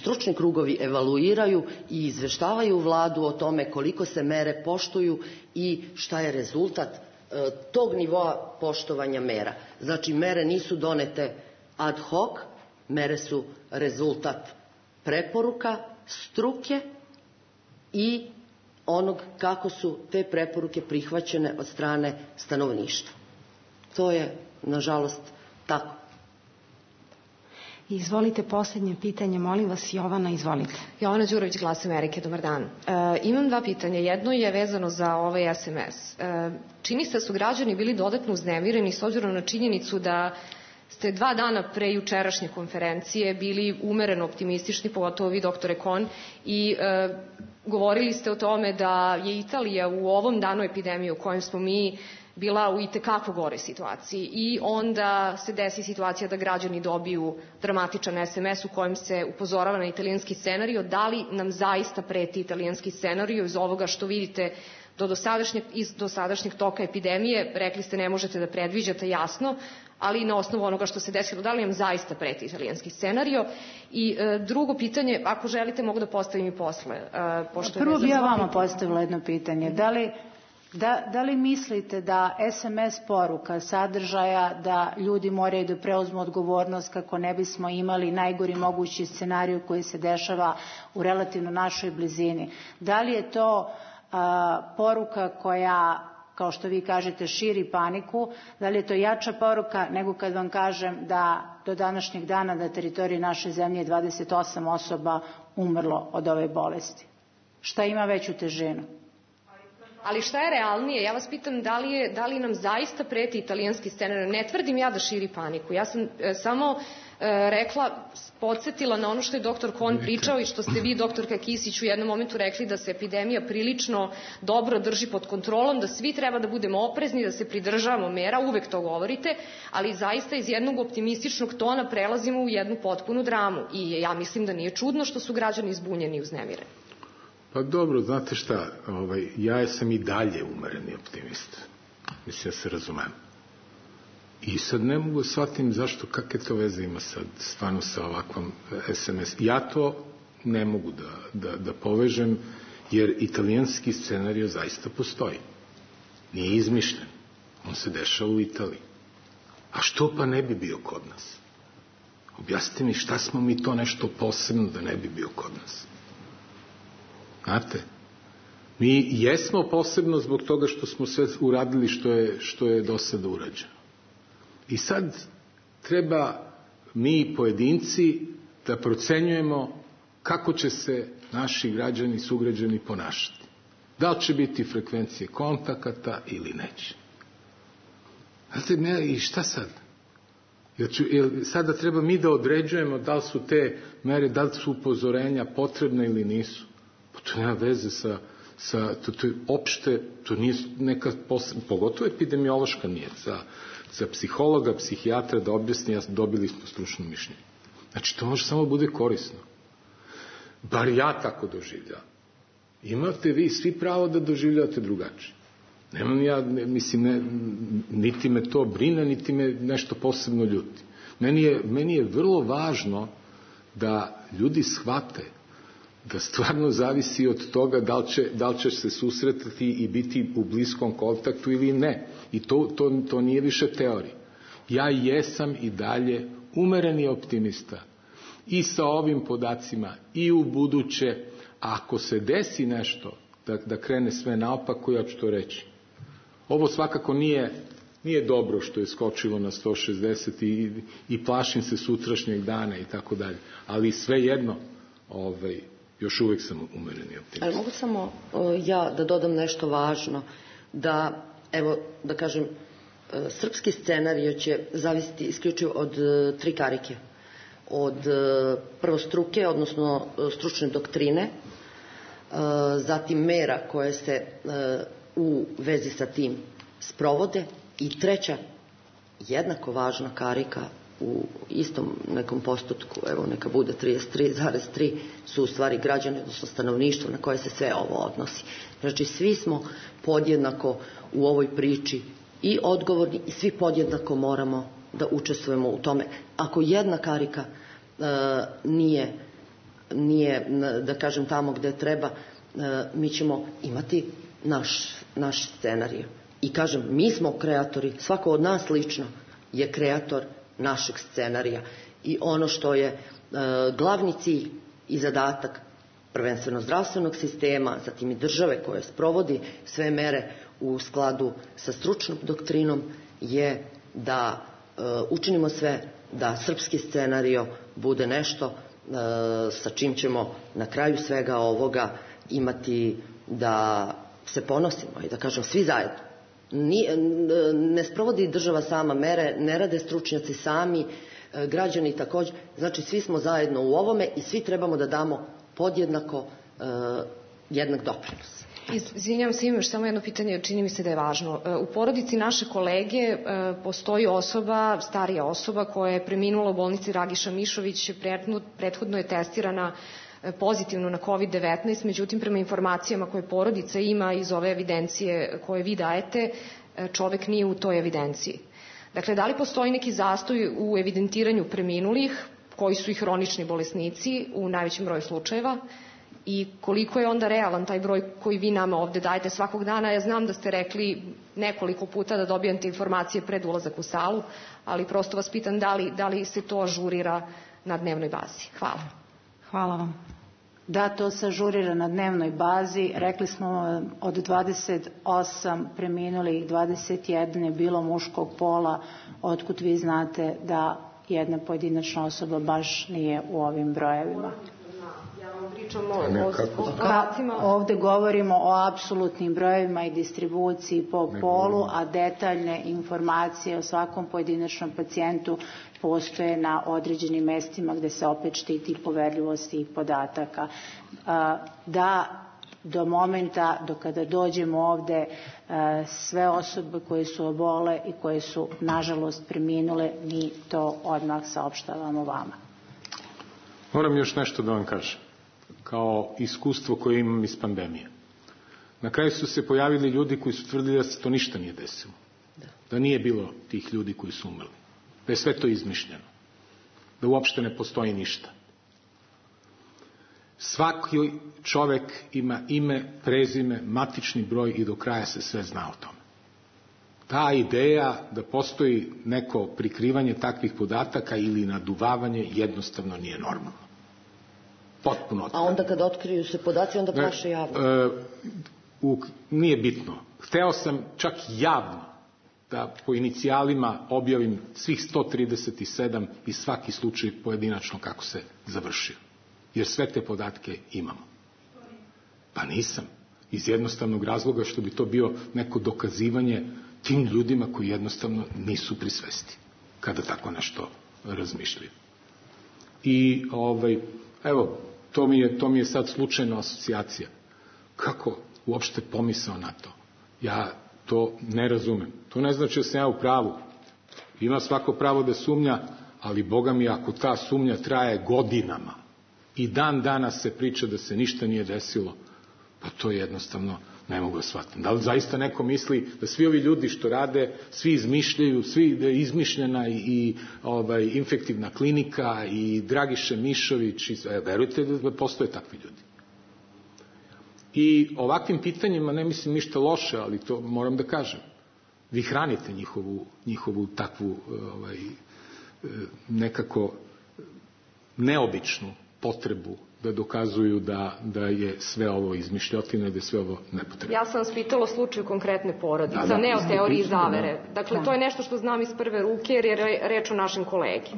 stručni krugovi evaluiraju i izveštavaju vladu o tome koliko se mere poštuju i šta je rezultat tog nivoa poštovanja mera. Znači, mere nisu donete ad hoc, mere su rezultat preporuka, struke i onog kako su te preporuke prihvaćene od strane stanovništva. To je, nažalost, tako. Izvolite, posljednje pitanje, molim vas. Jovana, izvolite. Jovana Đurović, Glas Amerike, dobar dan. Imam dva pitanja. Jedno je vezano za ovaj SMS. Čini se da su građani bili dodatno uznemireni s obzirom na činjenicu da ste 2 dana pre jučerašnje konferencije bili umereno optimistični, pogotovo vi, doktore Kon, i govorili ste o tome da je Italija u ovom danu epidemije u kojem smo mi bila u itekako gore situaciji i onda se desi situacija da građani dobiju dramatičan SMS u kojem se upozorava na italijanski scenario. Da li nam zaista preti italijanski scenario iz ovoga što vidite iz dosadašnjeg toka epidemije? Rekli ste ne možete da predviđate, jasno, ali na osnovu onoga što se desilo, da li nam zaista preti italijanski scenario? I drugo pitanje, ako želite mogu da postavim i posle. Prvo bi ja vama postavila jedno pitanje. Da li mislite da SMS poruka sadržaja da ljudi moraju da preuzmu odgovornost kako ne bismo imali najgori mogući scenarij koji se dešava u relativno našoj blizini? Da li je to poruka koja, kao što vi kažete, širi paniku? Da li je to jača poruka nego kad vam kažem da do današnjeg dana na teritoriji naše zemlje je 28 osoba umrlo od ove bolesti? Šta ima veću težinu? Ali šta je realnije? Ja vas pitam da li nam zaista preti italijanski scenario. Ne tvrdim ja da širi paniku. Ja sam samo podsjetila na ono što je doktor Kon pričao i što ste vi, doktorka Kisić, u jednom momentu rekli da se epidemija prilično dobro drži pod kontrolom, da svi treba da budemo oprezni, da se pridržavamo mera, uvek to govorite, ali zaista iz jednog optimističnog tona prelazimo u jednu potpunu dramu. I ja mislim da nije čudno što su građani zbunjeni i uznemireni. Pa dobro, znate šta, ja sam i dalje umereni optimist. Mislim, ja se razumem. I sad ne mogu shvatim zašto, kakve to veze ima sad stvarno sa ovakvom SMS. Ja to ne mogu da povežem, jer italijanski scenario zaista postoji. Nije izmišljen. On se dešava u Italiji. A što pa ne bi bio kod nas? Objasnite mi šta smo mi to nešto posebno da ne bi bio kod nas. Znate, mi jesmo posebno zbog toga što smo sve uradili što je do sada urađeno. I sad treba mi pojedinci da procenjujemo kako će se naši građani, sugrađani ponašati. Da li će biti frekvencije kontakata ili neće. Znate, i šta sad? Sada treba mi da određujemo da li su te mere, da li su upozorenja potrebne ili nisu. Pa to nema veze to je opšte, to nije neka posebna, pogotovo epidemiološka nije, za psihologa, psihijatra da objasni, dobili smo stručno mišljenje. Znači, to može samo bude korisno. Bar ja tako doživljavam. Imate vi svi pravo da doživljavate drugačije. Nemam ja, mislim, niti me to brine, niti me nešto posebno ljuti. Meni je vrlo važno da ljudi shvate da stvarno zavisi od toga da li će se susretati i biti u bliskom kontaktu ili ne. I to nije više teorija. Ja jesam i dalje umereni optimista i sa ovim podacima i u buduće. Ako se desi nešto da krene sve naopako, ja ću to reći. Ovo svakako nije dobro što je skočilo na 160 i plašim se sutrašnjeg dana i tako dalje. Ali svejedno, još uvijek sam umereni optimist. Ali mogu samo ja da dodam nešto važno, da kažem, srpski scenario će zavisiti isključivo od 3 karike. od prvo struke, odnosno stručne doktrine, zatim mera koje se u vezi sa tim sprovode i treća, jednako važna karika u istom nekom postotku, evo neka bude 33,3, su u stvari građani, odnosno stanovništvo na koje se sve ovo odnosi. Znači svi smo podjednako u ovoj priči i odgovorni i svi podjednako moramo da učestvujemo u tome. Ako jedna karika nije, da kažem, tamo gde treba, mi ćemo imati naš scenarij. I kažem, mi smo kreatori, svako od nas lično je kreator našeg scenarija. I ono što je glavni cilj i zadatak prvenstveno zdravstvenog sistema, zatim i države koje sprovodi sve mere u skladu sa stručnom doktrinom, je da učinimo sve da srpski scenario bude nešto sa čim ćemo na kraju svega ovoga imati da se ponosimo i da kažem svi zajedno. Ne sprovodi država sama mere, ne rade stručnjaci sami, građani također, znači svi smo zajedno u ovome i svi trebamo da damo podjednako jednak doprinos. Izvinjavam se, imam još samo jedno pitanje, čini mi se da je važno. U porodici naše kolege postoji osoba, starija osoba koja je preminula u bolnici Ragiša Mišović, prethodno je testirana pozitivno na COVID-19, međutim prema informacijama koje porodica ima iz ove evidencije koje vi dajete, čovek nije u toj evidenciji. Dakle, da li postoji neki zastoj u evidentiranju preminulih, koji su i hronični bolesnici u najvećem broju slučajeva, i koliko je onda realan taj broj koji vi nama ovde dajete svakog dana? Ja znam da ste rekli nekoliko puta da dobijate informacije pred ulazak u salu, ali prosto vas pitam da li se to ažurira na dnevnoj bazi. Hvala. Hvala vam. Da, to se ažurira na dnevnoj bazi. Rekli smo od 28 preminulih, 21 je bilo muškog pola, otkud vi znate da jedna pojedinačna osoba baš nije u ovim brojevima. Ovde govorimo o apsolutnim brojevima i distribuciji po polu, a detaljne informacije o svakom pojedinačnom pacijentu postoje na određenim mestima gde se opet štiti poverljivost tih podataka. Da do momenta, do kada dođemo ovde, sve osobe koje su obole i koje su nažalost preminule, mi to odmah saopštavamo vama. Moram još nešto da vam kažem, kao iskustvo koje imam iz pandemije. Na kraju su se pojavili ljudi koji su tvrdili da se to ništa nije desilo. Da nije bilo tih ljudi koji su umrli. Da je sve to izmišljeno. Da uopšte ne postoji ništa. Svaki čovek ima ime, prezime, matični broj i do kraja se sve zna o tome. Ta ideja da postoji neko prikrivanje takvih podataka ili naduvavanje jednostavno nije normalno. Potpuno otkriveno. A onda kad otkriju se podaci, onda plaše javno? Nije bitno. Hteo sam čak javno da po inicijalima objavim svih 137 i svaki slučaj pojedinačno kako se završio. Jer sve te podatke imamo. Pa nisam. Iz jednostavnog razloga što bi to bio neko dokazivanje tim ljudima koji jednostavno nisu pri svesti kada tako nešto razmišljaju. I evo, to mi je sad slučajna asocijacija. Kako uopšte pomisao na to? Ja to ne razumem. To ne znači da sam ja u pravu. Ima svako pravo da sumnja, ali Boga mi, ako ta sumnja traje godinama i dan danas se priča da se ništa nije desilo, pa to jednostavno ne mogu da shvatim. Da li zaista neko misli da svi ovi ljudi što rade, svi izmišljaju, da je izmišljena i infektivna klinika i Dragiša Mišović, verujte da postoje takvi ljudi. I ovakvim pitanjima ne mislim ništa loše, ali to moram da kažem. Vi hranite njihovu takvu nekako neobičnu potrebu da dokazuju da je sve ovo izmišljotina i da je sve ovo nepotrebno. Ja sam vas pitala o slučaju konkretne porodice, ne o teoriji zavere. Dakle, to je nešto što znam iz prve ruke jer je reč o našem kolegi.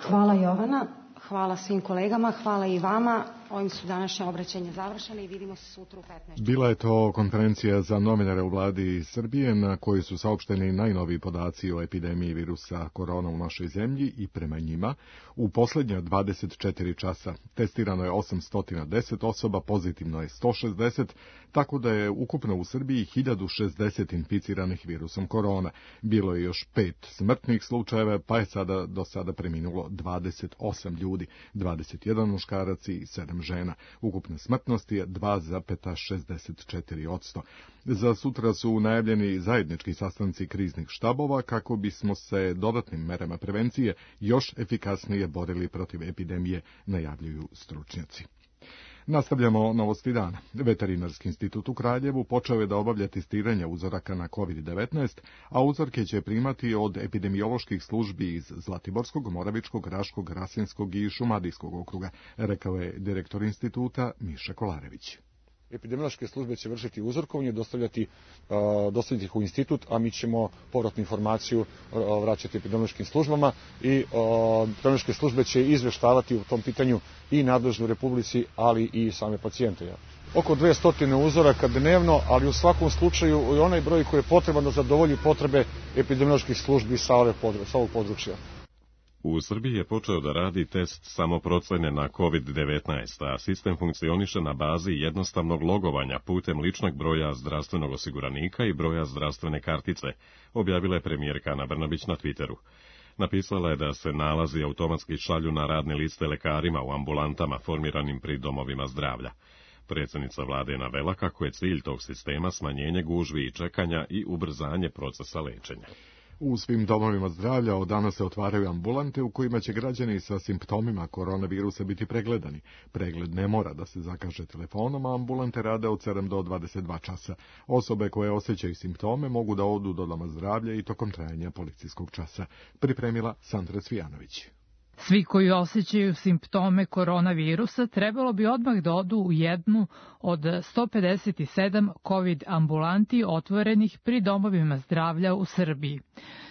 Hvala Jovana, hvala svim kolegama, hvala i vama. Ovim su današnje obraćanje završene i vidimo se sutra u 15. Bila je to konferencija za novinare u vladi Srbije na kojoj su saopšteni najnoviji podaci o epidemiji virusa korona u našoj zemlji i prema njima u poslednja 24 časa testirano je 810 osoba, pozitivno je 160, tako da je ukupno u Srbiji 1060 inficiranih virusom korona. Bilo je još 5 smrtnih slučajeva, pa je do sada preminulo 28 ljudi, 21 muškarac i 7 žena. Ukupna smrtnost je 2,64%. Za sutra su najavljeni zajednički sastanci kriznih štabova kako bismo se dodatnim merama prevencije još efikasnije borili protiv epidemije, najavljuju stručnjaci. Nastavljamo novosti dana. Veterinarski institut u Kraljevu počeo je da obavlja testiranje uzoraka na COVID-19, a uzorke će primati od epidemioloških službi iz Zlatiborskog, Moravičkog, Raškog, Rasinskog i Šumadijskog okruga, rekao je direktor instituta Miša Kolarević. Epidemiološke službe će vršiti uzorkovanje, dostavljati ih u institut, a mi ćemo povratnu informaciju vraćati epidemiološkim službama i epidemiološke službe će izveštavati u tom pitanju i nadležnu Republici, ali i same pacijente. Oko 200 uzoraka dnevno, ali u svakom slučaju i onaj broj koji je potreban da zadovolji potrebe epidemioloških službi sa ovog područja. U Srbiji je počeo da radi test samoprocene na COVID-19, a sistem funkcioniše na bazi jednostavnog logovanja putem ličnog broja zdravstvenog osiguranika i broja zdravstvene kartice, objavila je premijerka Ana Brnabić na Twitteru. Napisala je da se nalazi automatski šalju na radne liste lekarima u ambulantama formiranim pri domovima zdravlja. Predsjednica vlade je navela kako je cilj tog sistema smanjenje gužvi i čekanja i ubrzanje procesa lečenja. U svim domovima zdravlja od danas se otvaraju ambulante u kojima će građani sa simptomima koronavirusa biti pregledani. Pregled ne mora da se zakaže telefonom, a ambulante rade od 7 do 22 časa. Osobe koje osjećaju simptome mogu da odu do doma zdravlja i tokom trajanja policijskog časa. Pripremila Sandra Cvijanović. Svi koji osjećaju simptome koronavirusa trebalo bi odmah da odu u jednu od 157 COVID ambulanti otvorenih pri domovima zdravlja u Srbiji.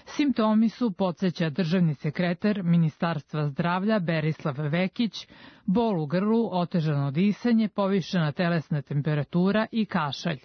Simptomi su, podsjeća državni sekretar Ministarstva zdravlja Berislav Vekić, bol u grlu, otežano disanje, povišena telesna temperatura i kašalj.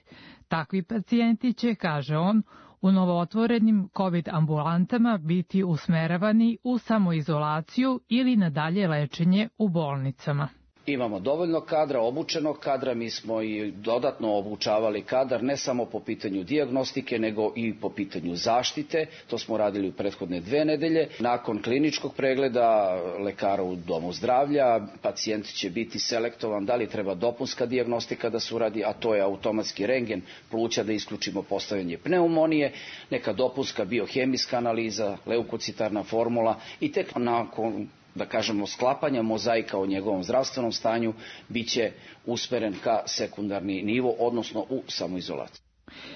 Takvi pacijenti će, kaže on, u novootvorenim COVID ambulantama biti usmeravani u samoizolaciju ili na dalje lečenje u bolnicama. Imamo dovoljno kadra, obučenog kadra, mi smo i dodatno obučavali kadar ne samo po pitanju dijagnostike, nego i po pitanju zaštite. To smo radili u prethodne 2 nedelje. Nakon kliničkog pregleda lekara u domu zdravlja, pacijent će biti selektovan da li treba dopunska dijagnostika da se uradi, a to je automatski rentgen pluća da isključimo postavljanje pneumonije, neka dopunska biohemijska analiza, leukocitarna formula i tek nakon sklapanja mozaika o njegovom zdravstvenom stanju biće usmeren ka sekundarni nivo, odnosno u samoizolaciju.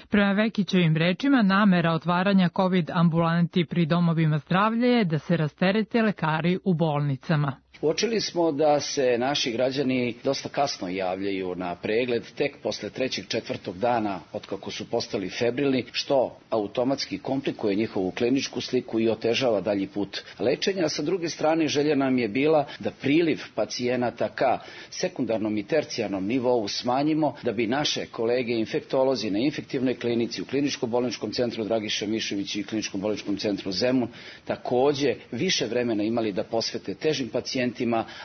Prema Vekićevim rečima, namera otvaranja COVID ambulanti pri domovima zdravlja je da se rasterete lekari u bolnicama. Uočili smo da se naši građani dosta kasno javljaju na pregled, tek posle 3. 4. dana od kako su postali febrilni, što automatski komplikuje njihovu kliničku sliku i otežava dalji put lečenja. A sa druge strane, želja nam je bila da priliv pacijenata ka sekundarnom i tercijarnom nivou smanjimo, da bi naše kolege infektolozi na infektivnoj klinici, u kliničko-bolničkom centru Dragiša Mišović i kliničko-bolničkom centru Zemun takođe više vremena imali da posvete težim pacijentima,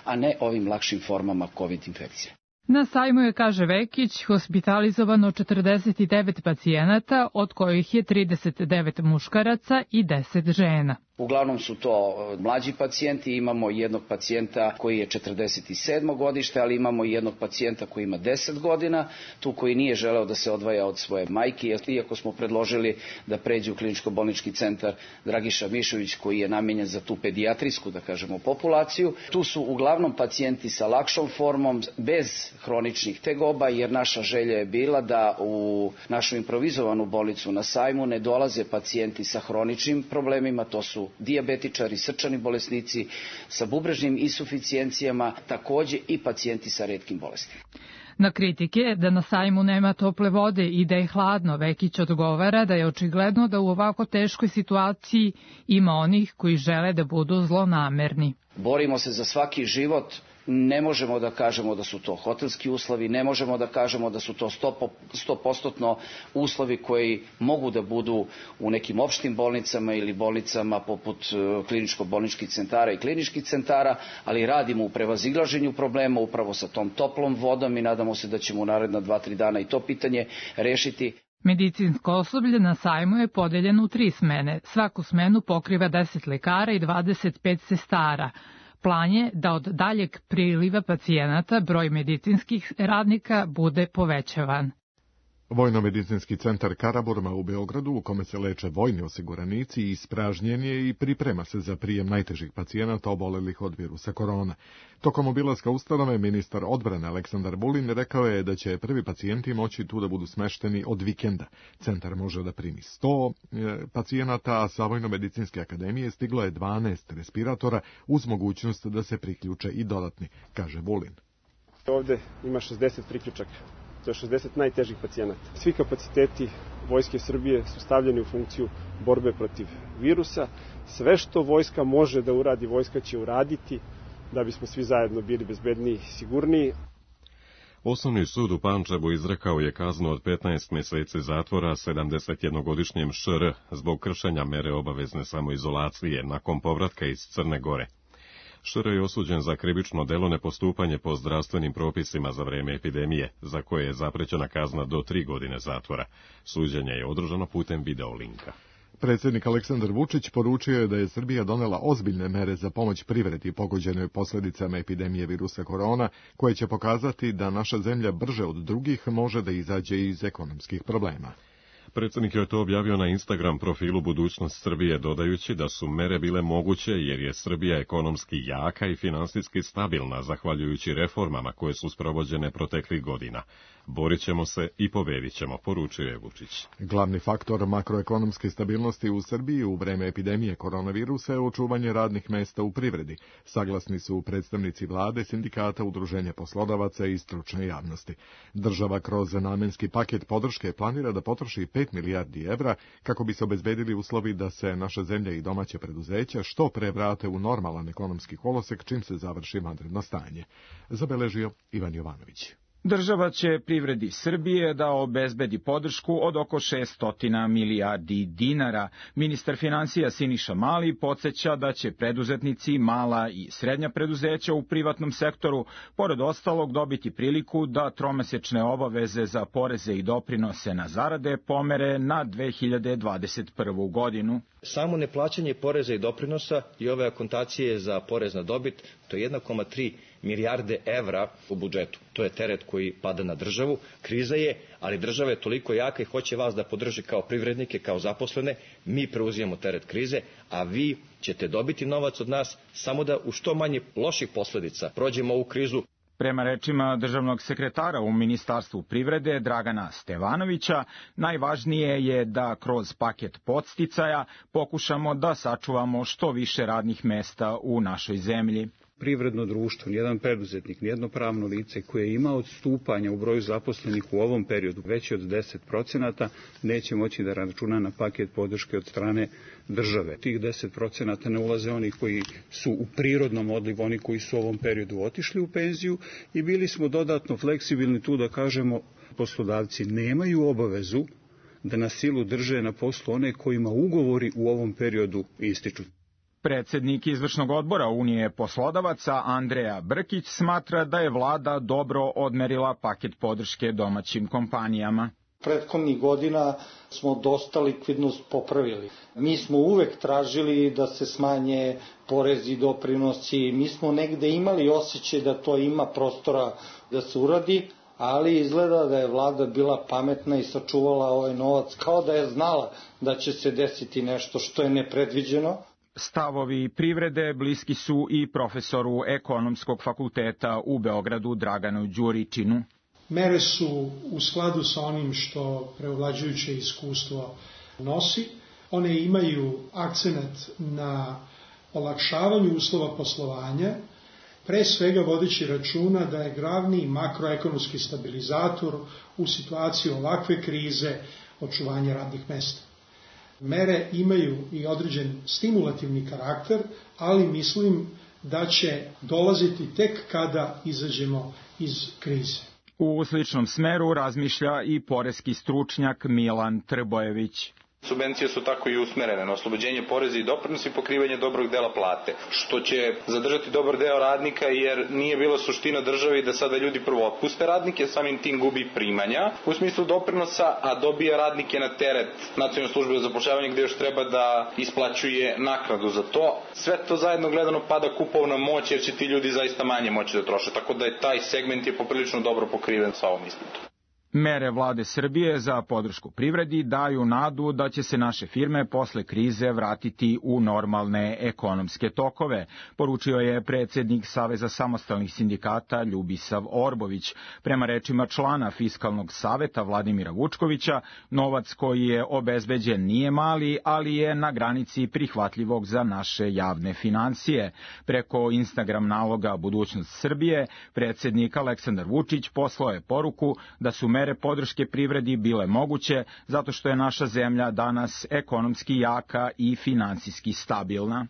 a ne ovim lakšim formama COVID infekcije. Na sajmu je, kaže Vekić, hospitalizovano 49 pacijenata, od kojih je 39 muškaraca i 10 žena. Uglavnom su to mlađi pacijenti, imamo jednog pacijenta koji je 47. godište, ali imamo i jednog pacijenta koji ima 10 godina, tu koji nije želeo da se odvaja od svoje majke, iako smo predložili da pređe u kliničko-bolnički centar Dragiša Mišović koji je namenjen za tu pedijatrijsku, populaciju. Tu su uglavnom pacijenti sa lakšom formom, bez hroničnih tegoba, jer naša želja je bila da u našu improvizovanu bolnicu na sajmu ne dolaze pacijenti sa hroničnim problemima, to su dijabetičari, srčani bolesnici sa bubrežnim insuficijencijama, takođe i pacijenti sa retkim bolestima. Na kritike da na sajmu nema tople vode i da je hladno, Vekić odgovara da je očigledno da u ovako teškoj situaciji ima onih koji žele da budu zlonamerni. Borimo se za svaki život Ne možemo da kažemo da su to hotelski uslovi, ne možemo da kažemo da su to 100% uslovi koji mogu da budu u nekim opštim bolnicama ili bolnicama poput kliničko-bolničkih centara i kliničkih centara, ali radimo u prevazilaženju problema upravo sa tom toplom vodom i nadamo se da ćemo u naredna 2-3 dana i to pitanje rešiti. Medicinsko osoblje na sajmu je podeljeno u 3 smene. Svaku smenu pokriva 10 lekara i 25 sestara. Plan je da od daljeg priliva pacijenata broj medicinskih radnika bude povećavan. Vojno-medicinski centar Karaburma u Beogradu, u kome se leče vojni osiguranici, ispražnjen je i priprema se za prijem najtežih pacijenata obolelih od virusa korona. Tokom obilaska ustanove, ministar odbrane Aleksandar Vulin rekao je da će prvi pacijenti moći tu da budu smešteni od vikenda. Centar može da primi 100 pacijenata, a sa Vojno-medicinske akademije stiglo je 12 respiratora uz mogućnost da se priključe i dodatni, kaže Vulin. Ovde ima 60 priključaka. To je 60 najtežih pacijenata. Svi kapaciteti Vojske Srbije su stavljeni u funkciju borbe protiv virusa. Sve što vojska može da uradi, vojska će uraditi da bismo svi zajedno bili bezbedniji i sigurniji. Osnovni sud u Pančevu izrekao je kaznu od 15 mjeseci zatvora 71-godišnjem ŠR zbog kršenja mere obavezne samoizolacije nakon povratka iz Crne Gore. ŠR je osuđen za krivično delo nepostupanje po zdravstvenim propisima za vreme epidemije, za koje je zaprećena kazna do 3 godine zatvora. Suđenje je održano putem videolinka. Predsjednik Aleksandar Vučić poručio je da je Srbija donela ozbiljne mere za pomoć privredi pogođenoj posljedicama epidemije virusa korona, koje će pokazati da naša zemlja brže od drugih može da izađe iz ekonomskih problema. Predsjednik je to objavio na Instagram profilu Budućnost Srbije, dodajući da su mere bile moguće jer je Srbija ekonomski jaka i finansijski stabilna, zahvaljujući reformama koje su sprovođene proteklih godina. Borit ćemo se i pobedit ćemo, poručio je Vučić. Glavni faktor makroekonomske stabilnosti u Srbiji u vreme epidemije koronavirusa je očuvanje radnih mesta u privredi. Saglasni su predstavnici vlade, sindikata, udruženja poslodavaca i stručne javnosti. Država kroz namenski paket podrške planira da potroši 5 milijardi evra kako bi se obezbedili uslovi da se naša zemlja i domaće preduzeća što pre vrate u normalan ekonomski kolosek čim se završi vanredno stanje. Zabeležio Ivan Jovanović. Država će privredi Srbije da obezbedi podršku od oko 600 milijardi dinara. Ministar finansija Siniša Mali podsjeća da će preduzetnici, mala i srednja preduzeća u privatnom sektoru, pored ostalog, dobiti priliku da tromesečne obaveze za poreze i doprinose na zarade pomere na 2021. godinu. Samo neplaćanje poreza i doprinosa i ove akontacije za porez na dobit, to je 1,3 milijarde evra u budžetu. To je teret koji pada na državu. Kriza je, ali država je toliko jaka i hoće vas da podrži kao privrednike, kao zaposlene. Mi preuzimamo teret krize, a vi ćete dobiti novac od nas samo da u što manje loših posledica prođemo ovu krizu. Prema rečima državnog sekretara u Ministarstvu privrede Dragana Stevanovića, najvažnije je da kroz paket podsticaja pokušamo da sačuvamo što više radnih mesta u našoj zemlji. Privredno društvo, nijedan preduzetnik, nijedno pravno lice koje ima odstupanja u broju zaposlenih u ovom periodu veći od 10% neće moći da računa na paket podrške od strane države. Tih 10% ne ulaze oni koji su u prirodnom odlivu, oni koji su u ovom periodu otišli u penziju i bili smo dodatno fleksibilni tu da kažemo poslodavci nemaju obavezu da na silu drže na poslu one kojima ugovori u ovom periodu ističu. Predsjednik izvršnog odbora Unije poslodavaca Andreja Brkić smatra da je vlada dobro odmerila paket podrške domaćim kompanijama. Prethodnih godina smo dosta likvidnost popravili. Mi smo uvek tražili da se smanje porezi i doprinosi. Mi smo negde imali osjećaj da to ima prostora da se uradi, ali izgleda da je vlada bila pametna i sačuvala ovaj novac kao da je znala da će se desiti nešto što je nepredviđeno. Stavovi privrede bliski su i profesoru ekonomskog fakulteta u Beogradu Draganu Đuričinu. Mere su u skladu sa onim što preovlađujuće iskustvo nosi. One imaju akcenat na olakšavanju uslova poslovanja, pre svega vodeći računa da je glavni makroekonomski stabilizator u situaciji ovakve krize očuvanje radnih mesta. Mere imaju i određen stimulativni karakter, ali mislim da će dolaziti tek kada izađemo iz krize. U sličnom smeru razmišlja i poreski stručnjak Milan Trbojević. Subvencije su tako i usmerene na oslobođenje poreza i doprinosa i pokrivanje dobrog dela plate, što će zadržati dobar deo radnika jer nije bila suština državi da sada ljudi prvo otpuste radnike, samim tim gubi primanja u smislu doprinosa, a dobija radnike na teret Nacionalne službe za zapošljavanje gde još treba da isplaćuje naknadu za to. Sve to zajedno gledano pada kupovna moć jer će ti ljudi zaista manje moći da troše, tako da je taj segment je poprilično dobro pokriven sa ovom isplatom. Mere vlade Srbije za podršku privredi daju nadu da će se naše firme posle krize vratiti u normalne ekonomske tokove, poručio je predsjednik Saveza samostalnih sindikata Ljubisav Orbović. Prema rečima člana Fiskalnog saveta Vladimira Vučkovića, novac koji je obezbeđen nije mali, ali je na granici prihvatljivog za naše javne financije. Preko Instagram naloga Budućnost Srbije, predsjednik Aleksandar Vučić poslao je poruku da su mere podrške privredi bile moguće zato što je naša zemlja danas ekonomski jaka i finansijski stabilna.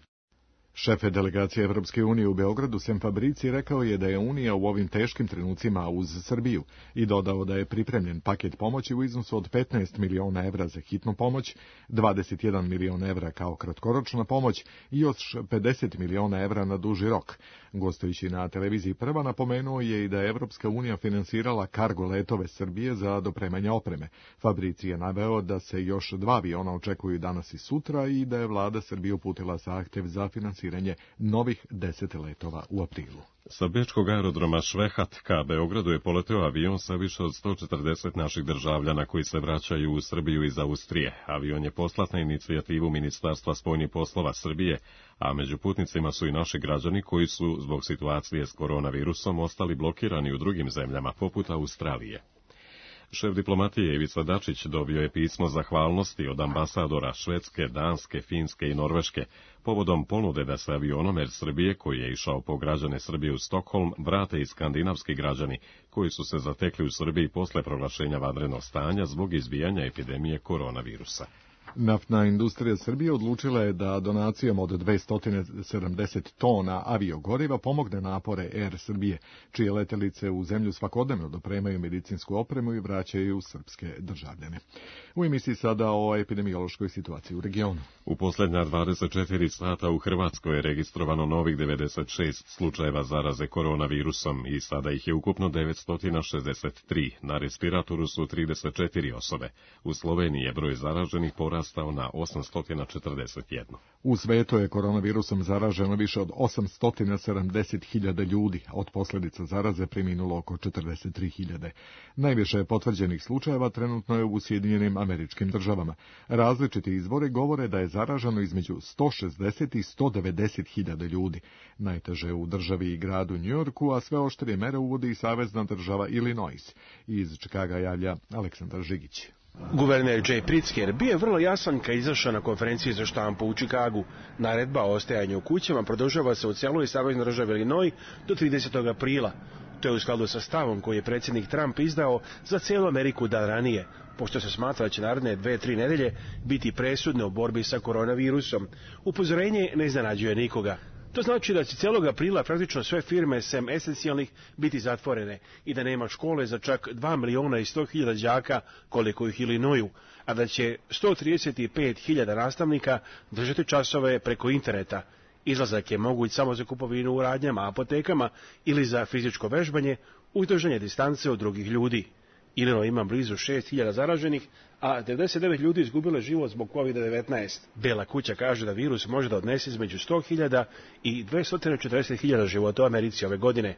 Šef delegacije Evropske unije u Beogradu Sem Fabrici rekao je da je Unija u ovim teškim trenucima uz Srbiju i dodao da je pripremljen paket pomoći u iznosu od 15 miliona evra za hitnu pomoć, 21 milion evra kao kratkoročna pomoć i još 50 miliona evra na duži rok. Gostujući na televiziji Prva napomenuo je i da je Evropska unija finansirala kargo letove Srbije za dopremanje opreme. Fabrici je naveo da se još 2 aviona očekuju danas i sutra i da je vlada Srbije uputila zahtev za finansiranje novih 10 letova u aprilu. Sa bečkog aerodroma Švehat ka Beogradu je poleteo avion sa više od 140 naših državljana koji se vraćaju u Srbiju iz Austrije. Avion je poslat na inicijativu Ministarstva spoljnih poslova Srbije, a među putnicima su i naši građani koji su zbog situacije s koronavirusom ostali blokirani u drugim zemljama, poput Australije. Šef diplomatije Ivica Dačić dobio je pismo zahvalnosti od ambasadora Švedske, Danske, Finske i Norveške povodom ponude da se avionom Air Srbije, koji je išao po građane Srbije u Stokholm, vrate i skandinavski građani koji su se zatekli u Srbiji posle proglašenja vanrednog stanja zbog izbijanja epidemije koronavirusa. Naftna industrija Srbije odlučila je da donacijom od 270 tona aviogoriva pomogne napore Air Srbije, čije letelice u zemlju svakodnevno dopremaju medicinsku opremu i vraćaju srpske državljane. U emisiji sada o epidemiološkoj situaciji u regionu. U posljednja 24 sata u Hrvatskoj je registrovano novih 96 slučajeva zaraze koronavirusom i sada ih je ukupno 963. Na respiratoru su 34 osobe. U Sloveniji je broj zaraženih porastao na 841. U svetu je koronavirusom zaraženo više od 870.000 ljudi, od posljedica zaraze preminulo oko 43.000. Najviše potvrđenih slučajeva trenutno je u Sjedinjenim Američkim Državama. Različiti izvori govore da je zaraženo između 160 i 190.000 ljudi. Najteže u državi i gradu Njujorku, a sve oštrije mere uvodi i savezna država Illinois. Iz Čikaga javlja Aleksandar Žigić. Guverner Jay Pritzker bio je vrlo jasan kad izašao na konferenciji za štampu u Čikagu. Naredba o ostajanju u kućama produžava se u cijeloj saveznoj državi Illinois do 30. aprila. To je u skladu sa stavom koji je predsjednik Trump izdao za cijelu Ameriku dan ranije, pošto se smatra da će naredne 2-3 nedelje biti presudne u borbi sa koronavirusom. Upozorenje ne iznenađuje nikoga. To znači da će cijelog aprila praktično sve firme, sem esencijalnih, biti zatvorene i da nema škole za čak 2.100.000 đaka koliko ih Illinoisu, a da će 135.000 nastavnika držati časove preko interneta. Izlazak je moguć samo za kupovinu u radnjama, apotekama ili za fizičko vežbanje uz držanje distance od drugih ljudi. Illinois ima blizu 6.000 zaraženih, a 99 ljudi izgubilo život zbog COVID-19. Bela kuća kaže da virus može da odnese između 100.000 i 240.000 života u Americi ove godine.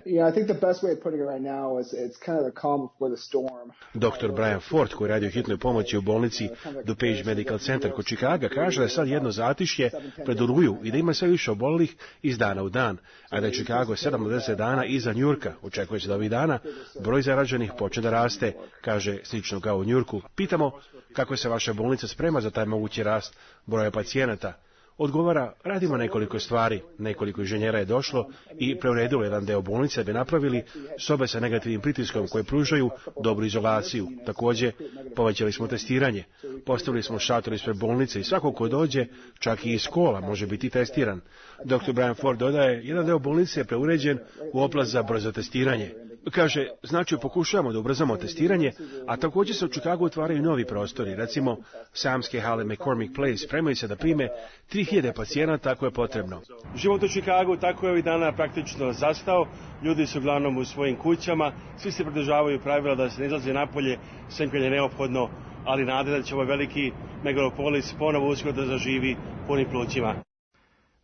Dr. Brian Ford, koji radi u hitnoj pomoći u bolnici DuPage Medical Center kod Čikaga, kaže da je sad jedno zatišje pred Oluju i da ima sve više obolelih iz dana u dan, a da je Čikago 7 do 10 dana iza Njujorka. Očekuje se da ovih dana broj zaraženih počne da raste, kaže slično kao u Njujorku. Pitamo kako se vaša bolnica sprema za taj mogući rast broja pacijenata. odgovara, radimo nekoliko stvari, nekoliko inženjera je došlo i preuredilo jedan deo bolnice da bi napravili sobe sa negativnim pritiskom koje pružaju dobru izolaciju. Također, povećali smo testiranje, postavili smo šator ispred bolnice i svako ko dođe, čak i iz škola, može biti testiran. Dr. Brian Ford dodaje, jedan deo bolnice je preuređen u oblast za brzo testiranje. Kaže, znači pokušavamo da ubrzamo testiranje, a također se u Chicagu otvaraju novi prostori, recimo Samske hale McCormick Place, spremaju se da prime 3000 pacijenata ako je potrebno. Život u Chicagu tako je ovih dana praktično zastao, ljudi su uglavnom u svojim kućama, svi se pridržavaju pravila da se ne izlazi napolje, sem kad je neophodno, ali nade da će ovaj veliki megalopolis ponovo uskoro da zaživi punim plućima.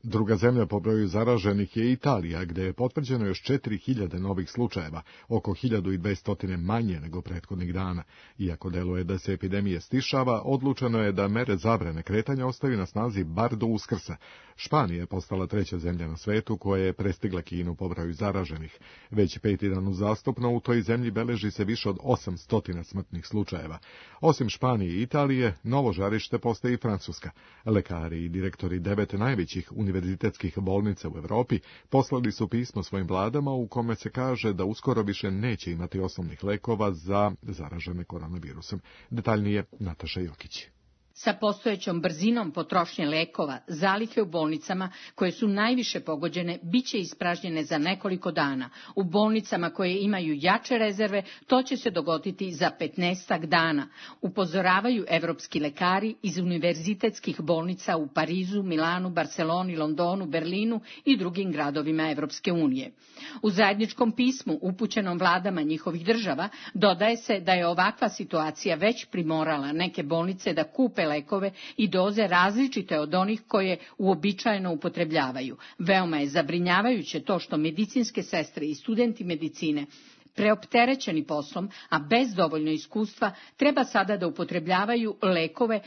Druga zemlja po broju zaraženih je Italija, gde je potvrđeno još 4000 novih slučajeva, oko 1200 manje nego prethodnih dana. Iako deluje da se epidemija stišava, odlučeno je da mere zabrane kretanja ostaju na snazi bar do Uskrsa. Španija je postala treća zemlja na svetu koja je prestigla Kinu po broju zaraženih. Već 5. dan uzastopno u toj zemlji beleži se više od 800 smrtnih slučajeva. Osim Španije i Italije, novo žarište postaje i Francuska. Lekari i direktori 9 najvećih univerzitetskih bolnica u Evropi poslali su pismo svojim vladama u kome se kaže da uskoro više neće imati osnovnih lekova za zaražene koronavirusom. Detaljnije Nataša Jokić. Sa postojećom brzinom potrošnje lekova, zalihe u bolnicama koje su najviše pogođene biće ispražnjene za nekoliko dana. U bolnicama koje imaju jače rezerve to će se dogoditi za 15 dana, upozoravaju evropski lekari iz univerzitetskih bolnica u Parizu, Milanu, Barceloni, Londonu, Berlinu i drugim gradovima Evropske unije. U zajedničkom pismu upućenom vladama njihovih država dodaje se da je ovakva situacija već primorala neke bolnice da kupe lekove i doze različite od onih koje uobičajeno upotrebljavaju. Veoma je zabrinjavajuće to što medicinske sestre i studenti medicine preopterećeni poslom, a bez dovoljno iskustva, treba sada da upotrebljavaju lekove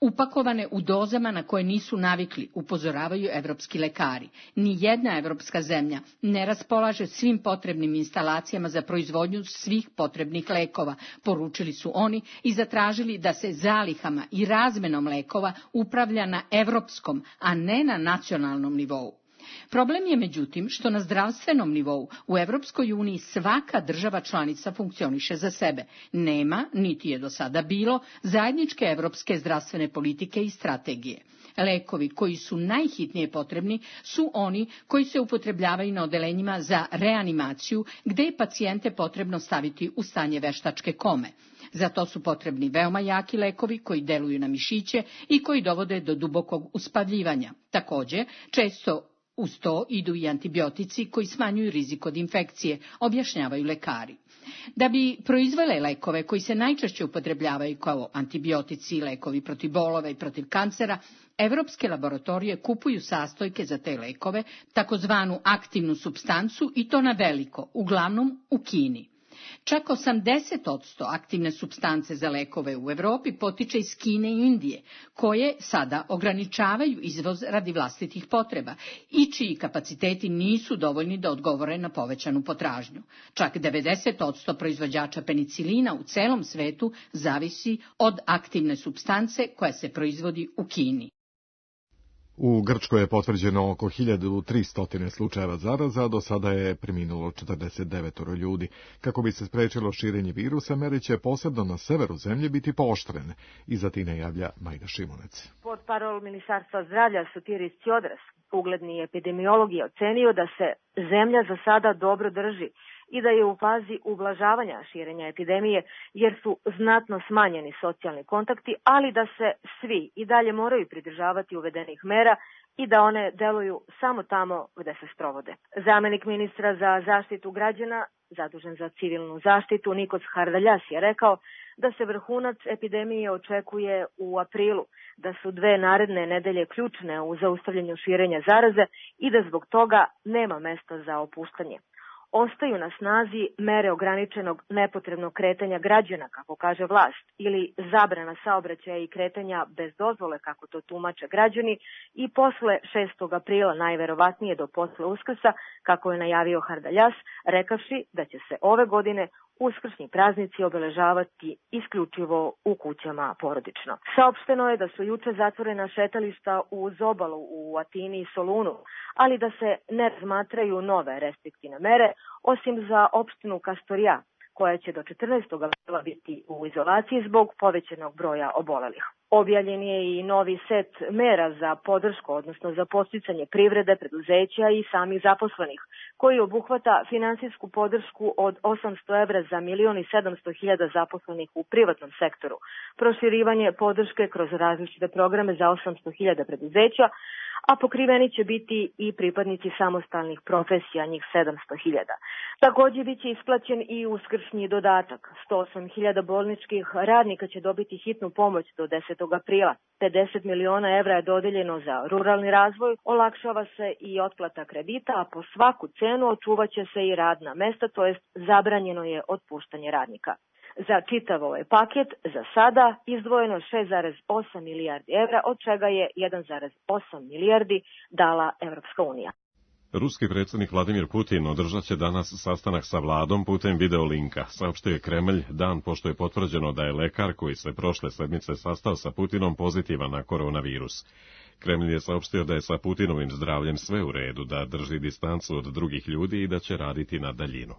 upakovane u dozama na koje nisu navikli, upozoravaju evropski lekari. Nijedna evropska zemlja ne raspolaže svim potrebnim instalacijama za proizvodnju svih potrebnih lekova, poručili su oni i zatražili da se zalihama i razmenom lekova upravlja na evropskom, a ne na nacionalnom nivou. Problem je međutim što na zdravstvenom nivou u Evropskoj uniji svaka država članica funkcioniše za sebe. Nema, niti je do sada bilo, zajedničke evropske zdravstvene politike i strategije. Lekovi koji su najhitnije potrebni su oni koji se upotrebljavaju na odelenjima za reanimaciju, gde je pacijente potrebno staviti u stanje veštačke kome. Za to su potrebni veoma jaki lekovi koji deluju na mišiće i koji dovode do dubokog uspavljivanja. Također, često uz to idu i antibiotici koji smanjuju rizik od infekcije, objašnjavaju lekari. Da bi proizvele lekove koji se najčešće upotrebljavaju kao antibiotici, lekovi protiv bolova i protiv kancera, evropske laboratorije kupuju sastojke za te lekove, takozvanu aktivnu supstancu, i to na veliko, uglavnom u Kini. Čak 80% aktivne supstance za lekove u Evropi potiče iz Kine i Indije, koje sada ograničavaju izvoz radi vlastitih potreba i čiji kapaciteti nisu dovoljni da odgovore na povećanu potražnju. Čak 90% proizvođača penicilina u celom svetu zavisi od aktivne supstance koja se proizvodi u Kini. U Grčkoj je potvrđeno oko 1300 slučajeva zaraza, do sada je preminulo 49 ljudi. Kako bi se sprečilo širenje virusa, mere će posebno na severu zemlje biti pooštrene. Iza tine javlja Majda Šimunec. Portparol Ministarstva zdravlja Sotiris Tsiodras, ugledni epidemiolog, je ocenio da se zemlja za sada dobro drži i da je u fazi ublažavanja širenja epidemije, jer su znatno smanjeni socijalni kontakti, ali da se svi i dalje moraju pridržavati uvedenih mera i da one deluju samo tamo gde se sprovode. Zamenik ministra za zaštitu građana, zadužen za civilnu zaštitu, Nikos Hardaljas, je rekao da se vrhunac epidemije očekuje u aprilu, da su 2 naredne nedelje ključne u zaustavljanju širenja zaraze i da zbog toga nema mesta za opuštanje. Ostaju na snazi mere ograničenog nepotrebnog kretanja građana, kako kaže vlast, ili zabrana saobraćaja i kretanja bez dozvole, kako to tumače građani, i posle 6. aprila, najverovatnije do posle Uskrsa, kako je najavio Hardaljas, rekavši da će se ove godine uskršnji praznici obeležavati isključivo u kućama porodično. Saopšteno je da su juče zatvorena šetališta uz obalu u Atini i Solunu, ali da se ne razmatraju nove restriktivne mere, osim za opštinu Kastorija, koja će do 14. aprila biti u izolaciji zbog povećanog broja obolelih. Objavljen je i novi set mera za podršku, odnosno za podsticanje privrede, preduzeća i samih zaposlenih, koji obuhvata finansijsku podršku od 800 evra za 1.700.000 zaposlenih u privatnom sektoru, proširivanje podrške kroz različite programe za 800.000 preduzeća, a pokriveni će biti i pripadnici samostalnih profesija, njih 700.000. Takođe biće isplaćen i uskršnji dodatak. 108.000 bolničkih radnika će dobiti hitnu pomoć do 10. aprila. 50 miliona evra je dodeljeno za ruralni razvoj, olakšava se i otplata kredita, a po svaku cenu očuvaće se i radna mesta, to jest zabranjeno je otpuštanje radnika. Za čitav ovaj paket za sada izdvojeno 6,8 milijardi evra, od čega je 1,8 milijardi dala Evropska unija. Ruski predsjednik Vladimir Putin održat će danas sastanak sa vladom putem videolinka, saopštio je Kremlj dan pošto je potvrđeno da je lekar koji se prošle sedmice sastao sa Putinom pozitivan na koronavirus. Kremlj je saopštio da je sa Putinovim zdravljem sve u redu, da drži distancu od drugih ljudi i da će raditi na daljinu.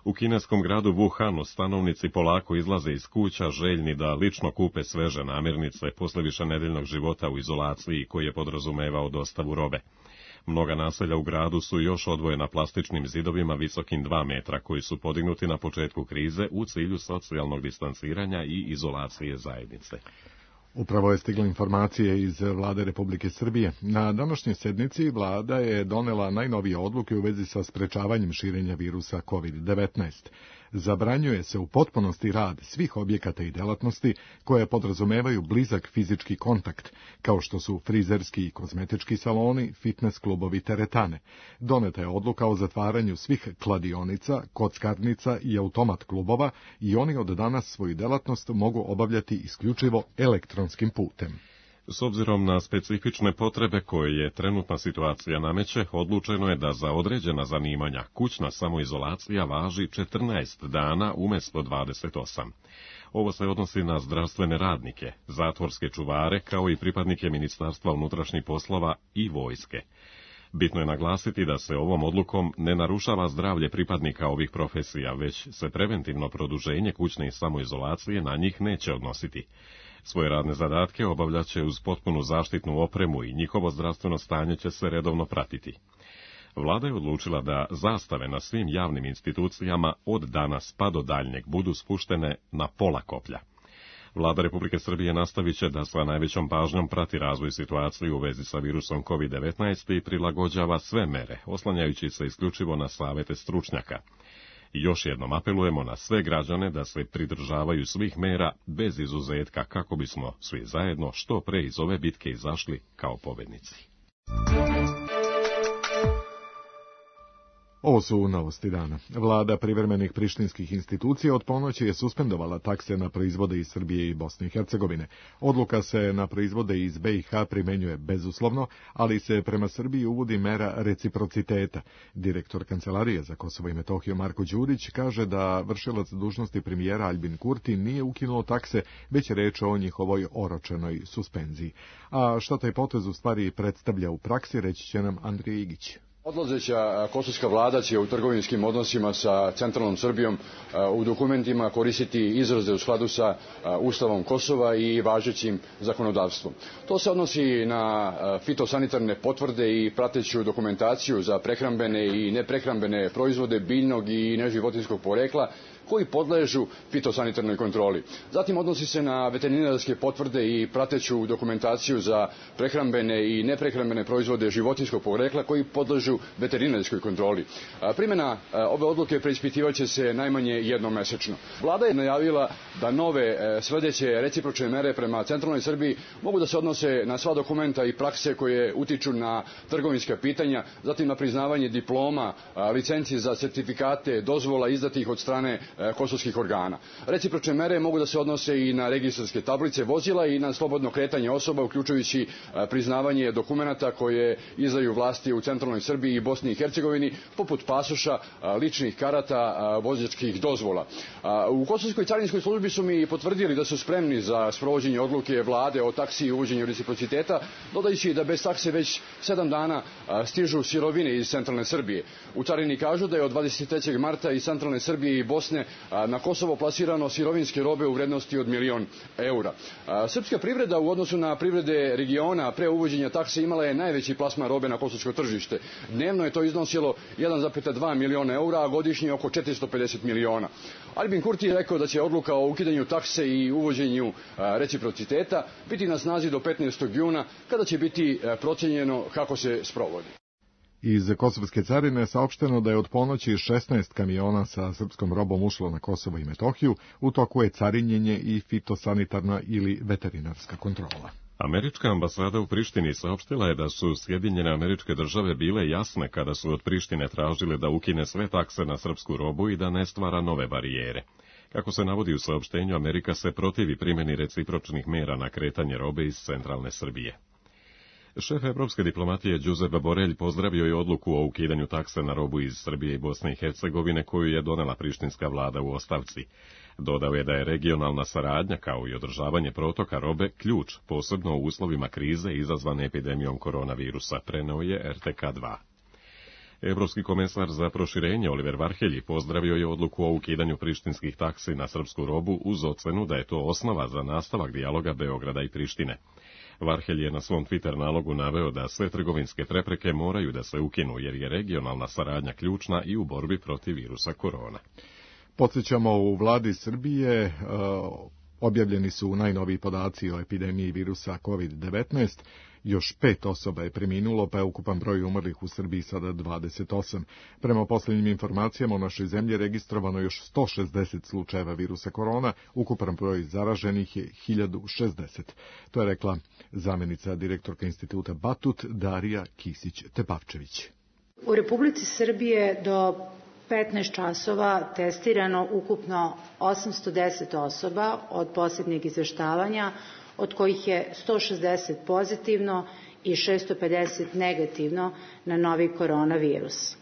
U kineskom gradu Wuhanu stanovnici polako izlaze iz kuća željni da lično kupe sveže namirnice posle višenedeljnog života u izolaciji koji je podrazumevao dostavu robe. Mnoga naselja u gradu su još odvojena plastičnim zidovima visokim 2 metra koji su podignuti na početku krize u cilju socijalnog distanciranja i izolacije zajednice. Upravo je stigla informacije iz Vlade Republike Srbije. Na današnjoj sednici vlada je donela najnovije odluke u vezi sa sprečavanjem širenja virusa COVID-19. Zabranjuje se u potpunosti rad svih objekata i delatnosti koje podrazumevaju blizak fizički kontakt, kao što su frizerski i kozmetički saloni, fitness klubovi, teretane. Doneta je odluka o zatvaranju svih kladionica, kockarnica i automat klubova i oni od danas svoju delatnost mogu obavljati isključivo elektronskim putem. S obzirom na specifične potrebe koje je trenutna situacija nameće, odlučeno je da za određena zanimanja kućna samoizolacija važi 14 dana umjesto 28. Ovo se odnosi na zdravstvene radnike, zatvorske čuvare, kao i pripadnike Ministarstva unutrašnjih poslova i vojske. Bitno je naglasiti da se ovom odlukom ne narušava zdravlje pripadnika ovih profesija, već se preventivno produženje kućne samoizolacije na njih neće odnositi. Svoje radne zadatke obavljaće uz potpunu zaštitnu opremu i njihovo zdravstveno stanje će se redovno pratiti. Vlada je odlučila da zastave na svim javnim institucijama od danas pa do daljnjeg budu spuštene na pola koplja. Vlada Republike Srbije nastavit će da sa najvećom pažnjom prati razvoj situacije u vezi sa virusom COVID-19 i prilagođava sve mere, oslanjajući se isključivo na savete stručnjaka. I još jednom apelujemo na sve građane da se pridržavaju svih mera bez izuzetka kako bismo svi zajedno što pre iz ove bitke izašli kao pobednici. Ovo su novosti dana. Vlada privremenih prištinskih institucija od ponoći je suspendovala takse na proizvode iz Srbije i Bosne i Hercegovine. Odluka se na proizvode iz BiH primenjuje bezuslovno, ali se prema Srbiji uvodi mera reciprociteta. Direktor Kancelarije za Kosovo i Metohiju Marko Đurić kaže da vršilac dužnosti premijera Aljbin Kurti nije ukinuo takse, već je reč o njihovoj oročenoj suspenziji. A šta taj potez u stvari predstavlja u praksi, reći će nam Andrija Igić. Odlazeća kosovska vlada će u trgovinskim odnosima sa centralnom Srbijom u dokumentima koristiti izraze u skladu sa Ustavom Kosova i važećim zakonodavstvom. To se odnosi na fitosanitarne potvrde i prateću dokumentaciju za prehrambene i neprehrambene proizvode biljnog i neživotinjskog porekla koji podležu fitosanitarnoj kontroli. Zatim odnosi se na veterinarske potvrde i prateću dokumentaciju za prehrambene i neprehrambene proizvode životinjskog porekla koji podležu veterinarskoj kontroli. Primjena ove odluke preispitivaće se najmanje jednom mesečno. Vlada je najavila da nove sledeće recipročne mere prema centralnoj Srbiji mogu da se odnose na sva dokumenta i prakse koje utiču na trgovinska pitanja, zatim na priznavanje diploma, licenci za sertifikate, dozvola izdatih od strane kosovskih organa. Recipročne mere mogu da se odnose i na registarske tablice vozila i na slobodno kretanje osoba, uključujući priznavanje dokumenata koje izdaju vlasti u centralnoj Srbiji i Bosni i Hercegovini, poput pasoša, ličnih karata, vozačkih dozvola. U Kosovskoj carinskoj službi su mi potvrdili da su spremni za sprovođenje odluke vlade o taksi i uvođenju reciprociteta, dodajući da bez takse već 7 dana stižu sirovine iz centralne Srbije. U carini kažu da je od 23. marta iz centralne Srbije i Bosne na Kosovo plasirano sirovinske robe u vrednosti od 1.000.000 eura. Srpska privreda u odnosu na privrede regiona pre uvođenja takse imala je najveći plasman robe na kosovsko tržište. Dnevno je to iznosilo 1,2 miliona eura, a godišnje oko 450 miliona. Albin Kurti je rekao da će odluka o ukidanju takse i uvođenju reciprociteta biti na snazi do 15. juna, kada će biti procenjeno kako se sprovodi. Iz Kosovske carine je saopšteno da je od ponoći 16 kamiona sa srpskom robom ušlo na Kosovo i Metohiju, u toku je carinjenje i fitosanitarna ili veterinarska kontrola. Američka ambasada u Prištini saopštila je da su Sjedinjene Američke Države bile jasne kada su od Prištine tražile da ukine sve takse na srpsku robu i da ne stvara nove barijere. Kako se navodi u saopštenju, Amerika se protivi primjeni recipročnih mera na kretanje robe iz centralne Srbije. Šef evropske diplomatije Giuseppe Borelj pozdravio je odluku o ukidanju takse na robu iz Srbije i Bosne i Hercegovine koju je donela prištinska vlada u ostavci. Dodao je da je regionalna saradnja kao i održavanje protoka robe ključ, posebno u uslovima krize izazvane epidemijom koronavirusa, preneo je RTK2. Evropski komesar za proširenje Oliver Varhelji pozdravio je odluku o ukidanju prištinskih taksi na srpsku robu uz ocenu da je to osnova za nastavak dijaloga Beograda i Prištine. Varhelj je na svom Twitter nalogu naveo da sve trgovinske prepreke moraju da se ukinu, jer je regionalna saradnja ključna i u borbi protiv virusa korona. Podsjećamo, u vladi Srbije objavljeni su najnoviji podaci o epidemiji virusa COVID-19. Još 5 osoba je preminulo, pa je ukupan broj umrlih u Srbiji sada 28. Prema posljednjim informacijama u našoj zemlji registrovano još 160 slučajeva virusa korona, ukupan broj zaraženih je 1060. To je rekla zamjenica direktorka instituta Batut Darija Kisić-Tepavčević. U Republici Srbije do 15 časova testirano ukupno 810 osoba od posljednjeg izveštavanja, od kojih je 160 pozitivno i 650 negativno na novi koronavirus.